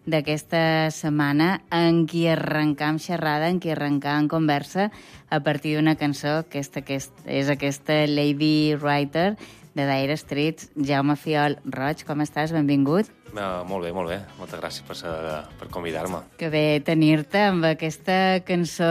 d'aquesta setmana, en qui arrencam xerrada, en qui arrencam conversa a partir d'una cançó que és, aquest, és aquesta Lady Writer de Dire Straits. Jaume Fiol Roig, com estàs? Benvingut. Uh, molt bé, molt bé. Moltes gràcies per, per convidar-me. Que bé tenir-te amb aquesta cançó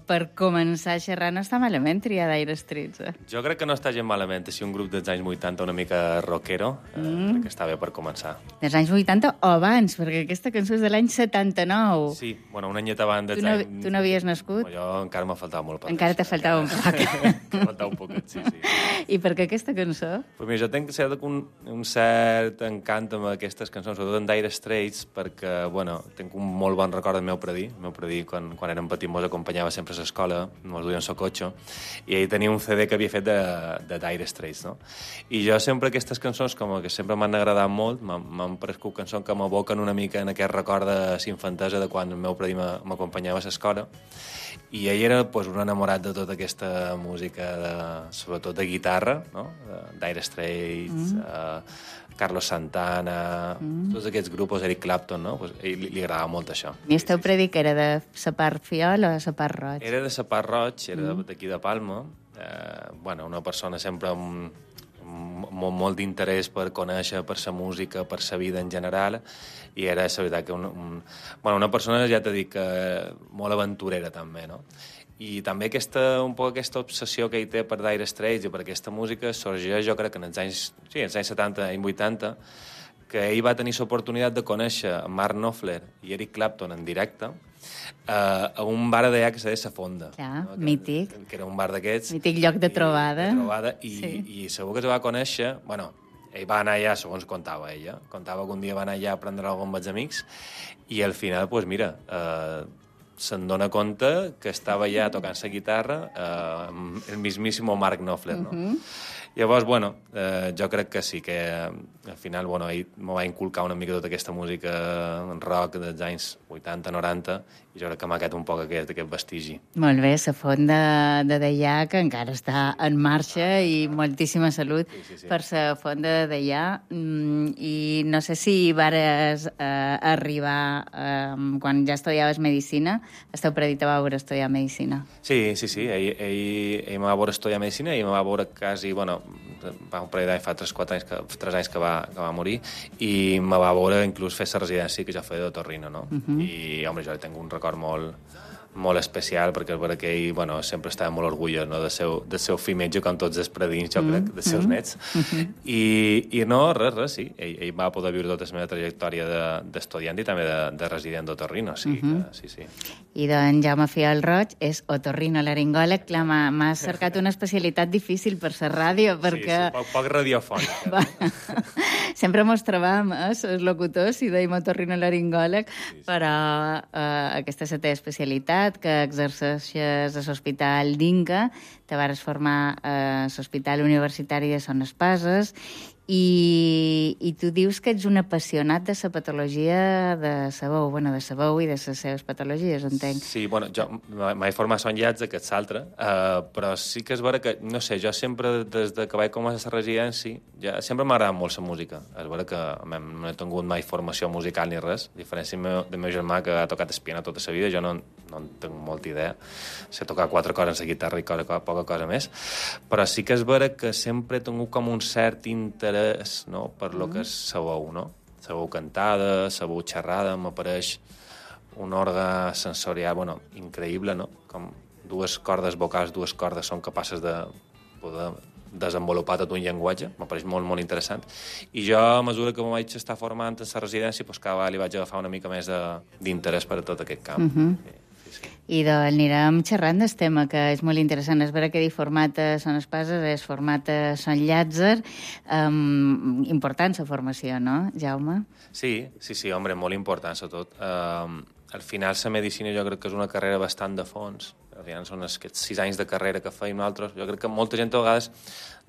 per començar a xerrar. No està malament triar Dire Straits, eh? Jo crec que no està gens malament. És un grup dels anys vuitanta una mica rockero. Mm. Eh, crec que està bé per començar. Dels anys vuitanta o abans, perquè aquesta cançó és de l'any setanta-nou. Sí, bueno, un anyet abans dels tu no, anys... Tu no havies nascut? Bueno, jo encara m'ha faltat molt per encara t'ha faltat un poc. M'ha faltat un poquet, sí, sí. I per què aquesta cançó? Pues mira, jo tenc cert, un, un cert encant amb aquestes cançons, sobretot en Dire Straits, perquè, bueno, tinc un molt bon record del meu predí. El meu predí, quan, quan érem petits, mos acompanyava sempre a l'escola, mos duia en so cotxe, i ell tenia un C D que havia fet de, de Dire Straits, no? I jo sempre aquestes cançons, com que sempre m'han agradat molt, m'han prescut cançons que m'aboquen una mica en aquest record de l'infantesa de quan el meu predí m'acompanyava a l'escola. I ell era pues, un enamorat de tota aquesta música, de, sobretot de guitarra, no? De Dire Straits, mm. uh, Carlos Santana, mm. tots aquests grups, Eric Clapton, no? Pues, ell li, li agradava molt això. I el teu predí que era de sa part fiol o de sa part roig? Era de sa part roig, era mm. d'aquí de Palma. Eh, bueno, una persona sempre amb, amb molt, molt d'interès per conèixer, per sa música, per sa vida en general, i era, la veritat, que un, un, bueno, una persona, ja t'he dit, que molt aventurera també, no? I també aquesta, un poc aquesta obsessió que ell té per Dire Straits i per aquesta música sorgeix, jo crec que en els anys, sí, els anys setanta i vuitanta, que ell va tenir l'oportunitat de conèixer Mark Knopfler i Eric Clapton en directe eh, a un bar d'allà que se deia La Fonda. Clar, no? que, mític. Que era un bar d'aquests. Mític lloc de trobada. I, de trobada i, sí. i segur que es va conèixer... Bueno, ell va anar allà, segons contava ella, contava que un dia va anar allà a prendre alguna amb els amics i al final, doncs pues mira, eh, se'n dona compte que estava allà tocant la guitarra eh, el mismísimo Mark Knopfler, no? Uh-huh. Llavors, bueno, eh, jo crec que sí, que al final, bueno, ell m'ho va inculcar una mica tota aquesta música rock dels anys vuitanta noranta i jo crec que m'ha quedat un poc aquest, aquest vestigi. Molt bé, la font de, de Deià, que encara està en marxa i moltíssima salut sí, sí, sí. per la font de Deià. Mm, I no sé si vares eh, arribar, eh, quan ja estudiaves Medicina, esteu predit a veure estudiar Medicina. Sí, sí, sí, ell, ell, ell m'ha va veure estudiar Medicina i m'ha va veure quasi, bueno, va un parell d'anys, fa tres quatre anys, que, tres anys que va, que va morir, i me va veure inclús fer la residència que jo feia d'otorrino, no? Uh-huh. I, home, jo tinc un record molt, molt especial, perquè és veritat que ell, bueno, sempre estava molt orgullós, no?, del seu, del seu fill metge, com tots els predins, jo crec, dels seus nets. Uh-huh. I, I no, res, res, sí. Ell, ell va poder viure tota la meva trajectòria d'estudiant de, i també de, de resident d'otorrino, sí, uh-huh. que, sí, sí. I d'en Jaume Fiol Roig és otorrinolaringòleg. Clar, m'ha cercat una especialitat difícil per la ràdio, perquè... Sí, sí, poc, poc radiofònic. Sempre mos trobam, eh, els locutors, i dèiem otorrinolaringòleg, sí, sí. però eh, aquesta és la teva especialitat, que exerceixes a l'Hospital d'Inca, te vas formar a l'Hospital Universitari de Son Espases, i, i tu dius que ets un apassionat de la patologia de la veu, bueno, de la veu i de les seves patologies, entenc. Sí, bueno, jo m'he format son llatge, que és l'altre, uh, però sí que és vera que, no sé, jo sempre, des de que vaig començar a la residència, ja, sempre m'ha agradat molt la música. És vera que no he tingut mai formació musical ni res, a diferència del meu, del meu germà, que ha tocat el piano tota la vida, jo no, no en tinc molta idea. Sé tocar quatre coses en la guitarra i cosa, poca cosa més, però sí que és vera que sempre he tingut com un cert interès, no?, per lo que és la veu, no? La veu cantada, la veu xerrada, m'apareix un òrgan sensorial, bueno, increïble, no? Com dues cordes vocals, dues cordes són capaces de poder desenvolupar tot un llenguatge, m'apareix molt, molt interessant. I jo, a mesura que m'ho vaig estar formant en la residència, doncs cada vegada li vaig agafar una mica més d'interès per a tot aquest camp. Uh-huh. Sí. I doncs anirem xerrant del tema, que és molt interessant. És vera que dir format a Son Espases és format a Son Llàtzer. Um, important la formació, no, Jaume? Sí, sí, sí, home, molt important, sobretot. Um, al final, la medicina jo crec que és una carrera bastant de fons. Al final són aquests sis anys de carrera que feim nosaltres. Jo crec que molta gent a vegades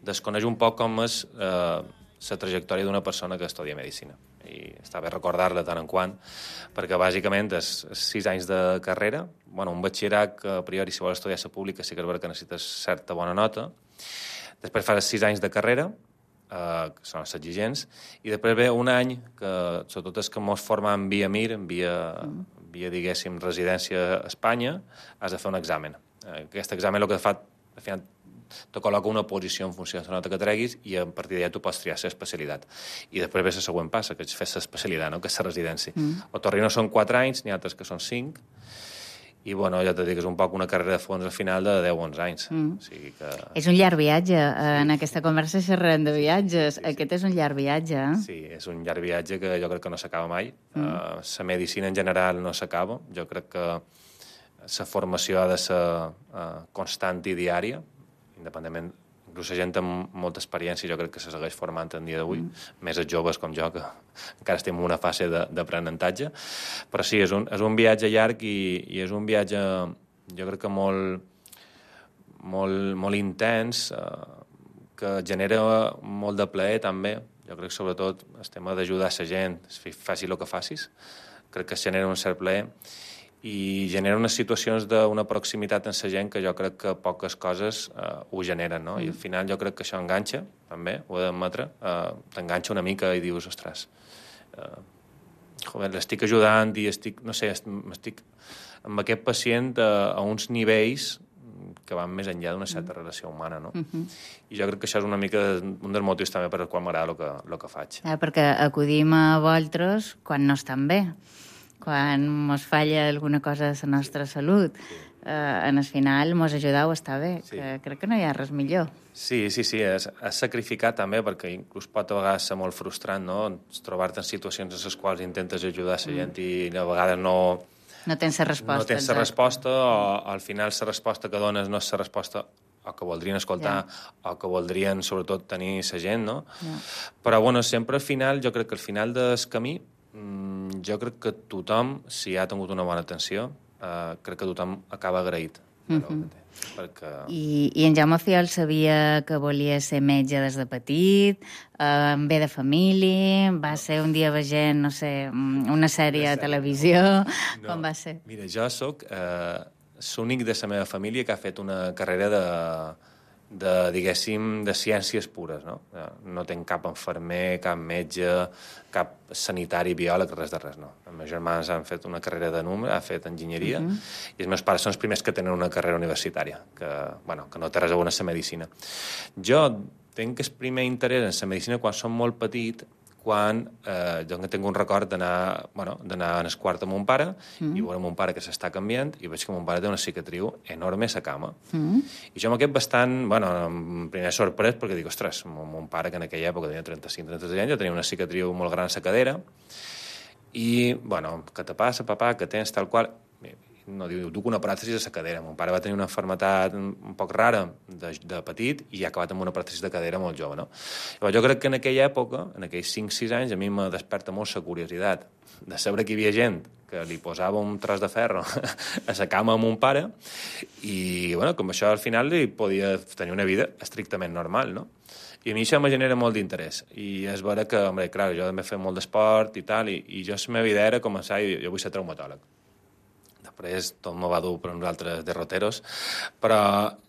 desconeix un poc com és eh, la trajectòria d'una persona que estudia medicina. I està bé recordar-la tant en quant, perquè bàsicament és sis anys de carrera, bueno, un batxillerat que a priori si vols estudiar a la pública sí que és vera que necessites certa bona nota, després fas sis anys de carrera, eh, que són els exigents, i després ve un any que sobretot és que mos formen via M I R, via, via diguéssim residència a Espanya, has de fer un examen. Aquest examen el que fa, al final, te col·loca una posició en funció de la nota que treguis i a partir d'allà tu pots triar l'especialitat. I després ve la següent passa, que és fer l'especialitat, no? Que és la residència. Mm. A Torrino són quatre anys, n'hi ha altres que són cinc, i, bueno, ja t'he dit que és un poc una carrera de fons al final de deu o onze anys. Mm. O sigui que... És un llarg viatge. En aquesta conversa xerrem de viatges. Sí, sí. Aquest és un llarg viatge, eh? Sí, és un llarg viatge que jo crec que no s'acaba mai. Mm. Uh, la medicina en general no s'acaba. Jo crec que la formació ha de ser uh, constant i diària, independentment. Inclús la gent amb molta experiència jo crec que se segueix formant en dia d'avui, mm. més els joves com jo, que encara estem en una fase d'aprenentatge. Però sí, és un, és un viatge llarg i, i és un viatge, jo crec que molt, molt, molt intens, eh, que genera molt de plaer també. Jo crec que sobretot el tema d'ajudar la gent, faci el que facis, crec que es genera un cert plaer i genera unes situacions d'una proximitat amb la gent que jo crec que poques coses eh, ho generen, no? Mm. I al final jo crec que això enganxa, també, ho he d'admetre, eh, t'enganxa una mica i dius, ostres, eh, joder, l'estic ajudant i estic, no sé, estic amb aquest pacient a, a uns nivells que van més enllà d'una certa mm. relació humana, no? Mm-hmm. I jo crec que això és una mica un dels motius també per al qual m'agrada el que, el que faig. Eh, perquè acudim a vosaltres quan no estan bé, quan mos falla alguna cosa de la nostra salut. Eh, en el final mos ajudeu a estar bé, sí. Que crec que no hi ha res millor. Sí, sí, sí, és, és sacrificar també, perquè inclús pot a vegades ser molt frustrant, no? Trobar-te en situacions en les quals intentes ajudar la gent mm. i a vegades no... No tens la resposta. No tens la resposta, o al final la resposta que dones no és la resposta o que voldrien escoltar, yeah. o que voldrien sobretot tenir la gent, no? Yeah. Però, bueno, sempre al final, jo crec que al final del camí, mmm, jo crec que tothom, si ha tingut una bona atenció, eh, crec que tothom acaba agraït. Mm-hmm. Perquè... I, I en Jaume Fiol sabia que volia ser metge des de petit, eh, ve de família, va ser un dia veient, no sé, una sèrie a televisió, no. Com va ser? Mira, jo sóc eh, l'únic de la meva família que ha fet una carrera de, de diguéssim, de ciències pures, no? No tenc cap infermer, cap metge, cap sanitari, biòleg, res de res, no. Els meus germans han fet una carrera de número, han fet enginyeria, uh-huh. i els meus pares són els primers que tenen una carrera universitària, que, bueno, que no té res a veure amb la medicina. Jo tinc el primer interès en la medicina quan som molt petit, quan eh, jo tinc un record d'anar bueno, d'anar al quart amb mon pare mm. i veure mon pare que s'està canviant i veig que mon pare té una cicatriu enorme a la cama. Mm. I jo amb aquest bastant, bueno, primer sorprès perquè dic, ostres, mon, mon pare que en aquella època tenia trenta-cinc trenta-sis anys, ja tenia una cicatriu molt gran a la cadera i, bueno, què te passa, papà, que tens tal qual... No, diu, duc una pròtesi de la cadera. Mon pare va tenir una malaltia un poc rara de, de petit i ha acabat amb una pròtesi de cadera molt jove, no? Però jo crec que en aquella època, en aquells cinc sis anys, a mi me desperta molt la curiositat de saber que hi havia gent que li posava un tros de ferro a la cama a mon pare i, bueno, com això al final li podia tenir una vida estrictament normal, no? I a mi això me genera molt d'interès. I és vera que, home, clar, jo també feia molt d'esport i tal, i, i jo la meva idea era començar, i jo vull ser traumatòleg. Després tot me va dur per uns altres derroteros, però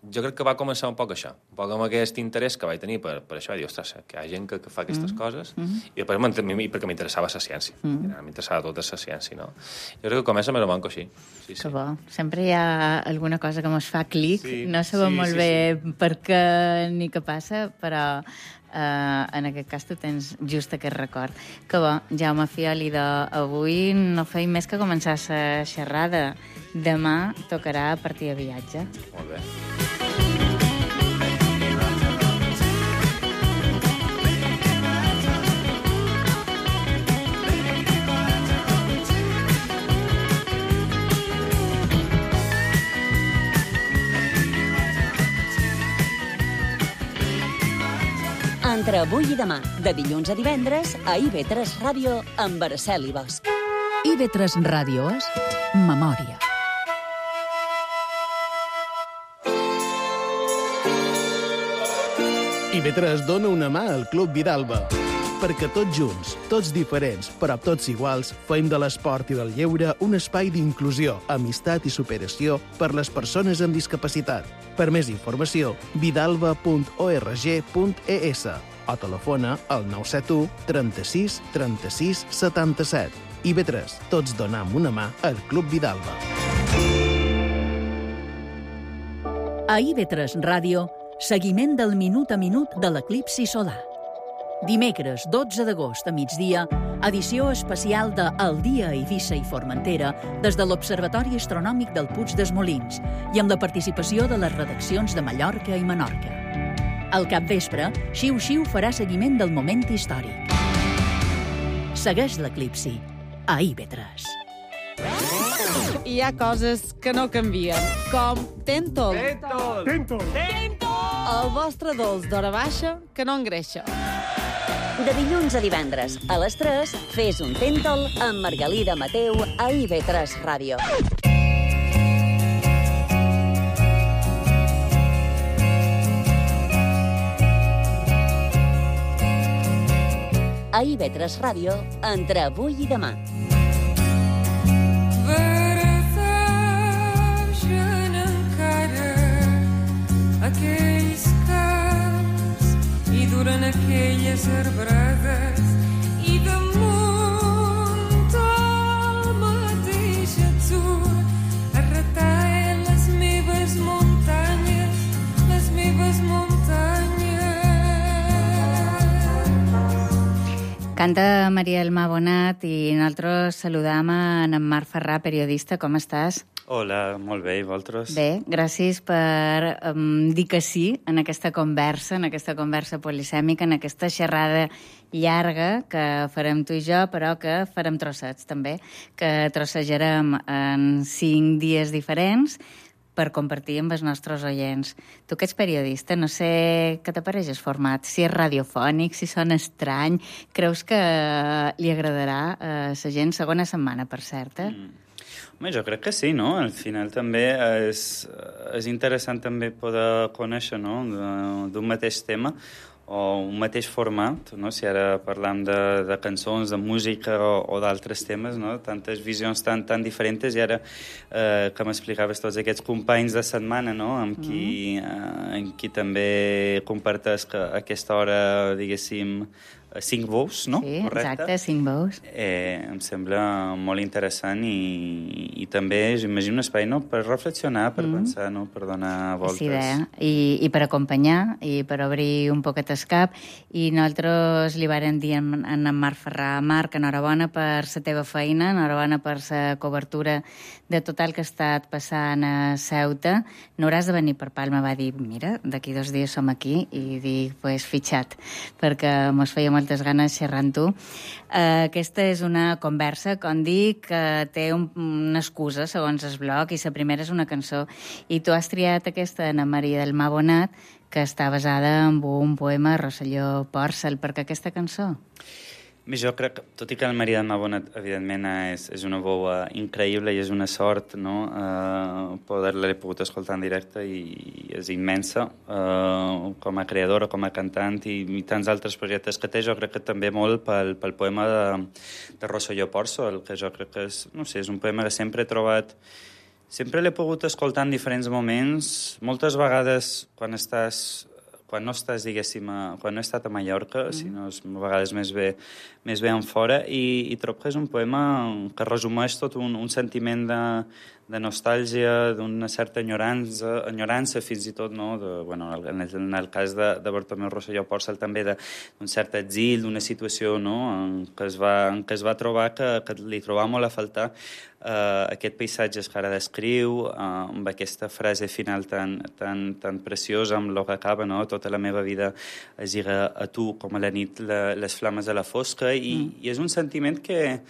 jo crec que va començar un poc això, un poc amb aquest interès que vaig tenir per, per això, i dir, ostres, que hi ha gent que, que fa aquestes mm. coses, mm-hmm. i després perquè m'interessava la ciència, mm. m'interessava tota la ciència, no? Jo crec que comença més o menys així. Sí, sí. Que bo. Sempre hi ha alguna cosa que mos fa clic, sí, no sabem sí, molt sí, bé sí. Per què ni què passa, però... Uh, en aquest cas tu tens just aquest record. Que bo, Jaume Fiol, i d'avui no feim més que començar la xerrada. Demà tocarà a partir de viatge. Molt bé. Entre avui i demà, de dilluns a divendres, a I V tres Ràdio, amb Araceli Bosch. I V tres Ràdio és memòria. I V tres dona una mà al Club Vidalba. Perquè tots junts, tots diferents, però tots iguals, fem de l'esport i del lleure un espai d'inclusió, amistat i superació per les persones amb discapacitat. Per més informació, vidalba punt org punt es o telefona al nou set u trenta-sis trenta-sis setanta-set. I V tres, tots donam una mà al Club Vidalba. A I V tres Ràdio Seguiment del minut a minut de l'eclipsi solar. Dimecres, dotze d'agost a migdia, edició especial de El dia a Eivissa i Formentera des de l'Observatori Astronòmic del Puig dels Molins i amb la participació de les redaccions de Mallorca i Menorca. Al capvespre, Xiu Xiu farà seguiment del moment històric. Segueix l'eclipsi a I V tres. Hi ha coses que no canvien, com Tentol. Tentol! Tentol! El vostre dolç d'hora baixa que no engreixa. De dilluns a divendres, a les tres, fes un Tentol amb Margalida Mateu a I V tres Ràdio. A I V tres Ràdio, entre avui i demà. Verdeixen encara aquells camps i duren aquelles arbrades i damunt el mateix atzur es retallen les meves muntanyes, les meves muntanyes. Canta Maria Elma Bonat i nosaltres saludam en Marc Ferrà, periodista. Com estàs? Hola, molt bé, i vosaltres? Bé, gràcies per um, dir que sí en aquesta conversa, en aquesta conversa polisèmica, en aquesta xerrada llarga que farem tu i jo, però que farem trossets també, que trossejarem en cinc dies diferents per compartir amb els nostres oients. Tu que ets periodista, no sé què t'apareix el format, si és radiofònic, si sona estrany, creus que li agradarà a la gent? Segona setmana, per cert, eh? Mm. Home, jo crec que sí, no? Al final també és, és interessant també poder conèixer, no?, d'un mateix tema o un mateix format, no? Si ara parlam de, de cançons, de música o, o d'altres temes, no? Tantes visions tan, tan diferents, i ara eh, que m'explicaves tots aquests companys de setmana, no?, amb qui, mm. eh, amb qui també compartes que a aquesta hora, diguéssim, cinc bous, no? Sí, correcte? Exacte, cinc bous. Eh, em sembla molt interessant i, i també, imagino, un espai, no?, per reflexionar, per mm. pensar, no?, per donar voltes. Sí, idea. I, I per acompanyar, i per obrir un poquet el cap. I nosaltres li vàrem dir a en, en Marc Ferrà: Marc, enhorabona per la teva feina, enhorabona per la cobertura de tot el que ha estat passant a Ceuta. No hauràs de venir per Palma. Va dir, mira, d'aquí dos dies som aquí, i dic, pues, fitxat, perquè mos feia moltes ganes xerrar amb tu. Uh, aquesta és una conversa, com dic, que té un, una excusa, segons el blog, i la primera és una cançó. I tu has triat aquesta, Ana Maria del Mar Bonat, que està basada en un poema de Rosselló Pòrcel. Per què aquesta cançó? Jo crec que, tot i que el Maria del Mar Bonat, evidentment, és, és una veu increïble i és una sort, no?, uh, poder-la l'he pogut escoltar en directe, i, i és immensa uh, com a creadora, com a cantant, i, i tants altres projectes que té. Jo crec que també molt pel, pel poema de, de Rosselló Pòrcel, que jo crec que és, no sé, és un poema que sempre he trobat, sempre l'he pogut escoltar en diferents moments, moltes vegades quan estàs quan no estàs, diguéssim, a, quan no he estat a Mallorca, mm. sinó a vegades més bé, més bé en fora, i, i trobo que és un poema que resumeix tot un, un sentiment de, de nostàlgia, d'una certa enyorança, enyorança fins i tot, no?, de, bueno, en, el, en el cas de, de Bartomeu Rosselló Pòrcel també d'un cert exil, d'una situació, no?, en què es va, en què es va trobar que, que li trobava molt a faltar Uh, aquest paisatge que ara descriu, uh, amb aquesta frase final tan, tan, tan preciosa, amb el que acaba, no?, tota la meva vida es lliga a tu com a la nit la, les flames de la fosca, i, mm. i és un sentiment que,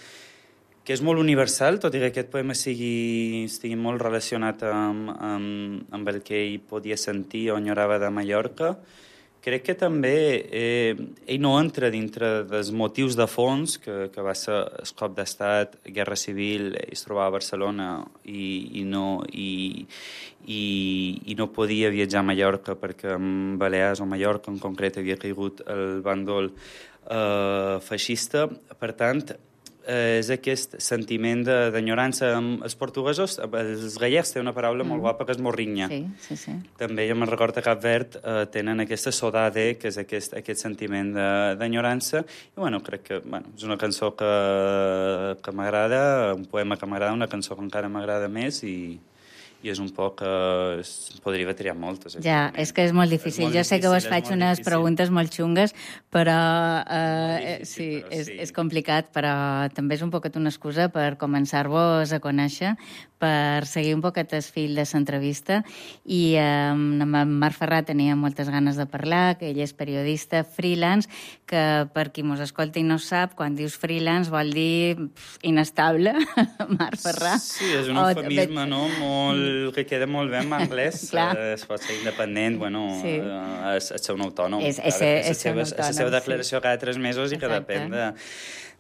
que és molt universal, tot i que aquest poema sigui, estigui molt relacionat amb, amb, amb el que ell podia sentir o enyorava de Mallorca. Crec que també eh, ell no entra dintre dels motius de fons, que, que va ser el cop d'estat, guerra civil, ell es trobava a Barcelona i, i, no, i, i, i no podia viatjar a Mallorca perquè en Balears o Mallorca en concret havia caigut el bàndol eh, feixista. Per tant, és aquest sentiment d'enyorança. Els portuguesos, els gallecs tenen una paraula mm. molt guapa que és morrinya. Sí, sí, sí. També, jo me'n recordo que a Cap Verd eh, tenen aquesta sodade, que és aquest, aquest sentiment d'enyorança. I, bueno, crec que bueno, és una cançó que, que m'agrada, un poema que m'agrada, una cançó que encara m'agrada més, i, i és un poc... Eh, es podria triar moltes. Ja, és que és molt difícil. És molt jo sé difícil, que vos faig unes difícil. preguntes molt xungues, però eh, difícil, sí, però és, sí, és complicat, però també és un poquet una excusa per començar-vos a conèixer, per seguir un poquet el fil de l'entrevista, i eh, amb en Marc Ferrà tenia moltes ganes de parlar, que ell és periodista freelance, que per qui mos escolta i no sap, quan dius freelance vol dir pf, inestable, Marc Ferrà. Sí, és un eufemisme, no?, molt que queda molt bé en anglès. eh, es pot ser independent, bueno, sí. eh, és, és ser un autònom. És, és, ser, és, ser un autònom, és la seva declaració sí. cada tres mesos i Exacte. que depèn de,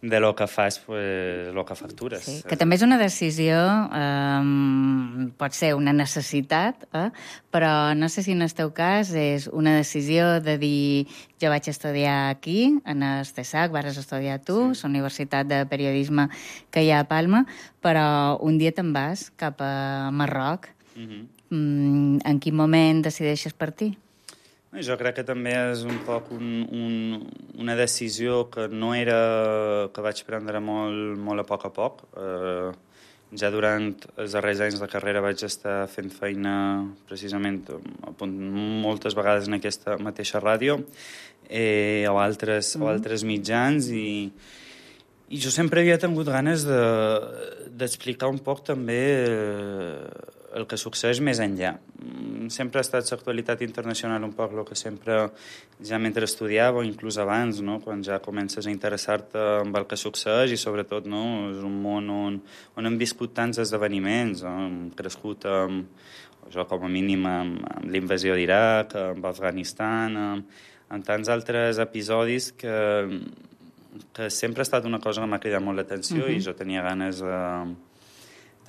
de lo que fas, pues, lo que factures. Sí, que també és una decisió, eh, pot ser una necessitat, eh, però no sé si en el teu cas és una decisió de dir jo vaig estudiar aquí, en el C E S A C, vas estudiar tu, sí. la Universitat de Periodisme que hi ha a Palma, però un dia te'n vas cap a Marroc. Uh-huh. Mm, en quin moment decideixes partir? Jo crec que també és un poc un, un, una decisió que no era... que vaig prendre molt, molt a poc a poc. Eh, ja durant els darrers anys de carrera vaig estar fent feina precisament moltes vegades en aquesta mateixa ràdio eh, o, altres, mm. o altres mitjans i, i jo sempre havia tingut ganes de, d'explicar un poc també eh, el que succeeix més enllà. Sempre ha estat l'actualitat internacional un poc el que sempre, ja mentre estudiava, o inclús abans, no? Quan ja comences a interessar-te amb el que succeeix i sobretot no? És un món on, on hem viscut tants esdeveniments, no? Hem crescut amb, jo com a mínim amb, amb l'invasió d'Iraq, amb Afganistan, amb, amb tants altres episodis que, que sempre ha estat una cosa que m'ha cridat molt l'atenció uh-huh. i jo tenia ganes de...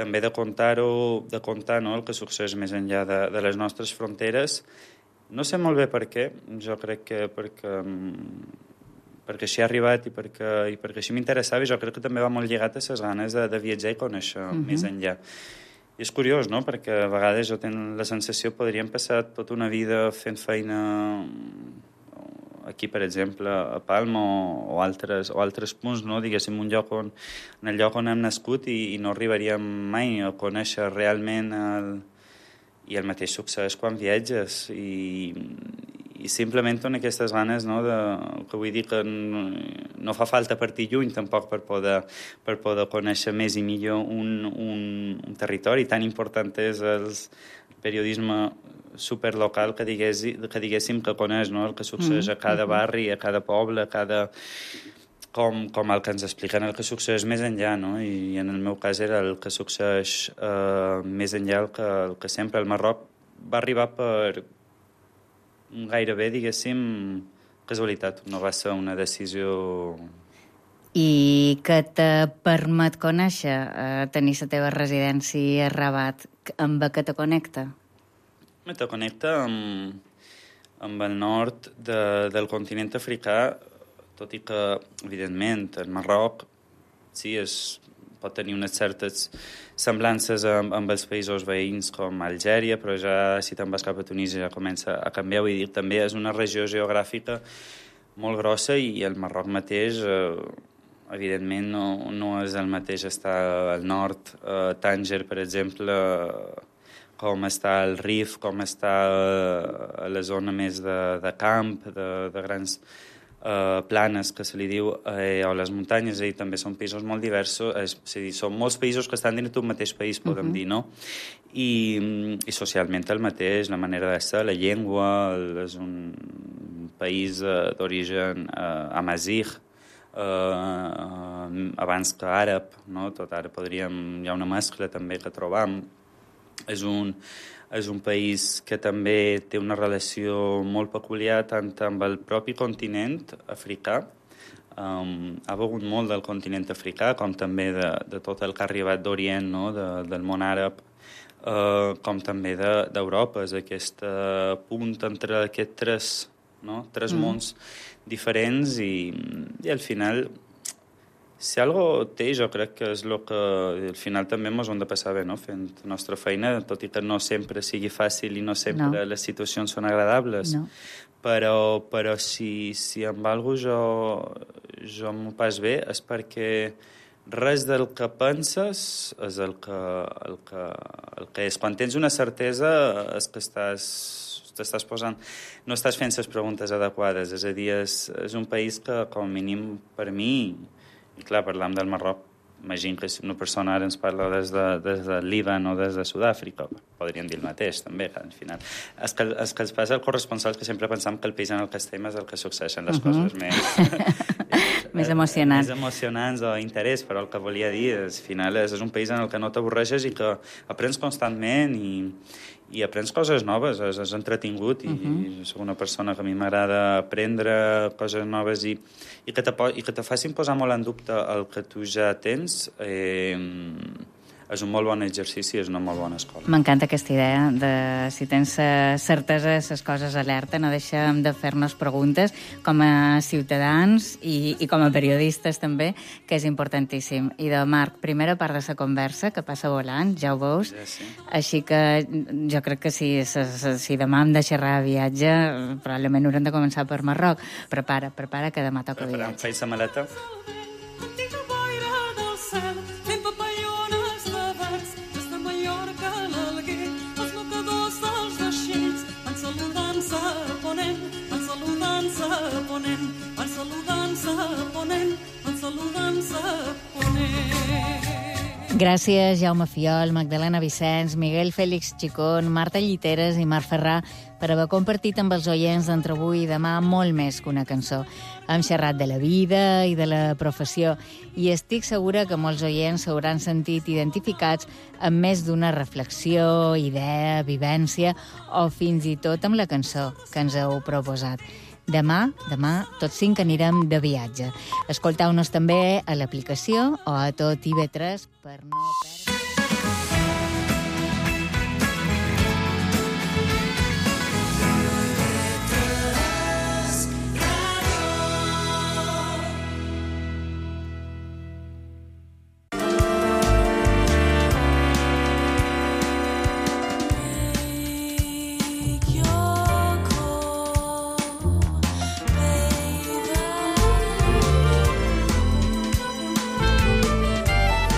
també de contar-ho, de contar no, el que succeeix més enllà de, de les nostres fronteres. No sé molt bé per què, jo crec que perquè, perquè així ha arribat i perquè, i perquè així m'interessava i jo crec que també va molt lligat a les ganes de, de viatjar i conèixer uh-huh. més enllà. I és curiós, no?, perquè a vegades jo tinc la sensació que podríem passar tota una vida fent feina aquí, per exemple, a Palma o, o, altres, o altres punts, no? Diguéssim, un lloc on, en el lloc on hem nascut i, i no arribaríem mai a conèixer realment el, i el mateix succés quan viatges i, i simplement en aquestes ganes, no, de, que vull dir que no, no fa falta partir lluny tampoc per poder, per poder conèixer més i millor un, un, un territori tan important és el periodisme superlocal que, digués, que diguéssim que coneix, no? El que succeeix a cada barri, a cada poble, a cada... Com, com el que ens expliquen el que succeeix més enllà, no? I en el meu cas era el que succeeix eh, més enllà el que, el que sempre el Marroc va arribar per gairebé, diguéssim, casualitat, no va ser una decisió... I que te permet conèixer, eh, tenir la teva residència a Rabat, amb què te connecta? Me te connecta amb, amb el nord de, del continent africà, tot i que, evidentment, el Marroc sí, és, pot tenir unes certes semblances amb, amb els països veïns com Algèria, però ja si te'n vas cap a Tunísia ja comença a canviar. Vull dir, també és una regió geogràfica molt grossa i el Marroc mateix, eh, evidentment, no, no és el mateix estar al nord, eh, Tànger, per exemple, com està el Rif, com està a la zona més de, de camp, de, de grans eh, planes, que se li diu, eh, o les muntanyes, i també són països molt diversos, és, és a dir, són molts països que estan dins d'un mateix país, podem uh-huh. dir, no? I, I socialment el mateix, la manera de ser, la llengua, el, és un país eh, d'origen eh, amazigh, eh, abans que àrab, no? Tot ara podríem, hi ha una mescla també que trobam. És un, és un país que també té una relació molt peculiar tant amb el propi continent africà. Um, ha begut molt del continent africà, com també de, de tot el que ha arribat d'Orient, no? de, del món àrab, uh, com també d'Europa. De, és aquest uh, punt entre aquests tres, no? tres mm. mons diferents i, i al final... Si algo té, jo crec que és el que al final també ens ho hem de passar bé, no? Fent la nostra feina, tot i que no sempre sigui fàcil i no sempre no. les situacions són agradables. No. Però, però si, si amb alguna cosa jo, jo m'ho pas bé és perquè res del que penses és el que, el que, el que és. Quan tens una certesa és que estàs, t'estàs posant... No estàs fent les preguntes adequades. És a dir, és, és un país que, com a mínim, per mi, i clar, parlam del Marroc, imagino que si una persona ara ens parla des de, des de Líban o des de Sud-àfrica, podríem dir el mateix, també, que al final... És que, és que els passa el corresponsal que sempre pensam que el país en el que estem és el que succeeixen les uh -huh. coses més... més emocionants. Més emocionants o interès, però el que volia dir és, al final, és, és un país en el que no t'avorreixes i que aprens constantment i, i aprens coses noves, és, és entretingut i, uh -huh. i soc una persona que a mi m'agrada aprendre coses noves i, i, que te, i que te facin posar molt en dubte el que tu ja tens. Eh, és un molt bon exercici, és una molt bona escola. M'encanta aquesta idea de, si tens certesa, les coses alerta, no deixem de fer-nos preguntes com a ciutadans i, i com a periodistes també, que és importantíssim. I de Marc, primera part de la conversa, que passa volant, ja ho veus, ja, sí. Així que jo crec que si, si demà hem de xerrar de viatge, probablement haurem de començar per Marroc. Prepara, prepara, que demà toca viatge. Preparant, feis la maleta. Gràcies, Jaume Fiol, Magdalena Vicenç, Miguel Fèlix Chicón, Marta Lliteres i Marc Ferrà per haver compartit amb els oients d'entre avui i demà molt més que una cançó. Hem xerrat de la vida i de la professió i estic segura que molts oients s'hauran sentit identificats amb més d'una reflexió, idea, vivència o fins i tot amb la cançó que ens heu proposat. Demà, demà, tots cinc anirem de viatge. Escolteu-nos també a l'aplicació o a tot I V tres per no...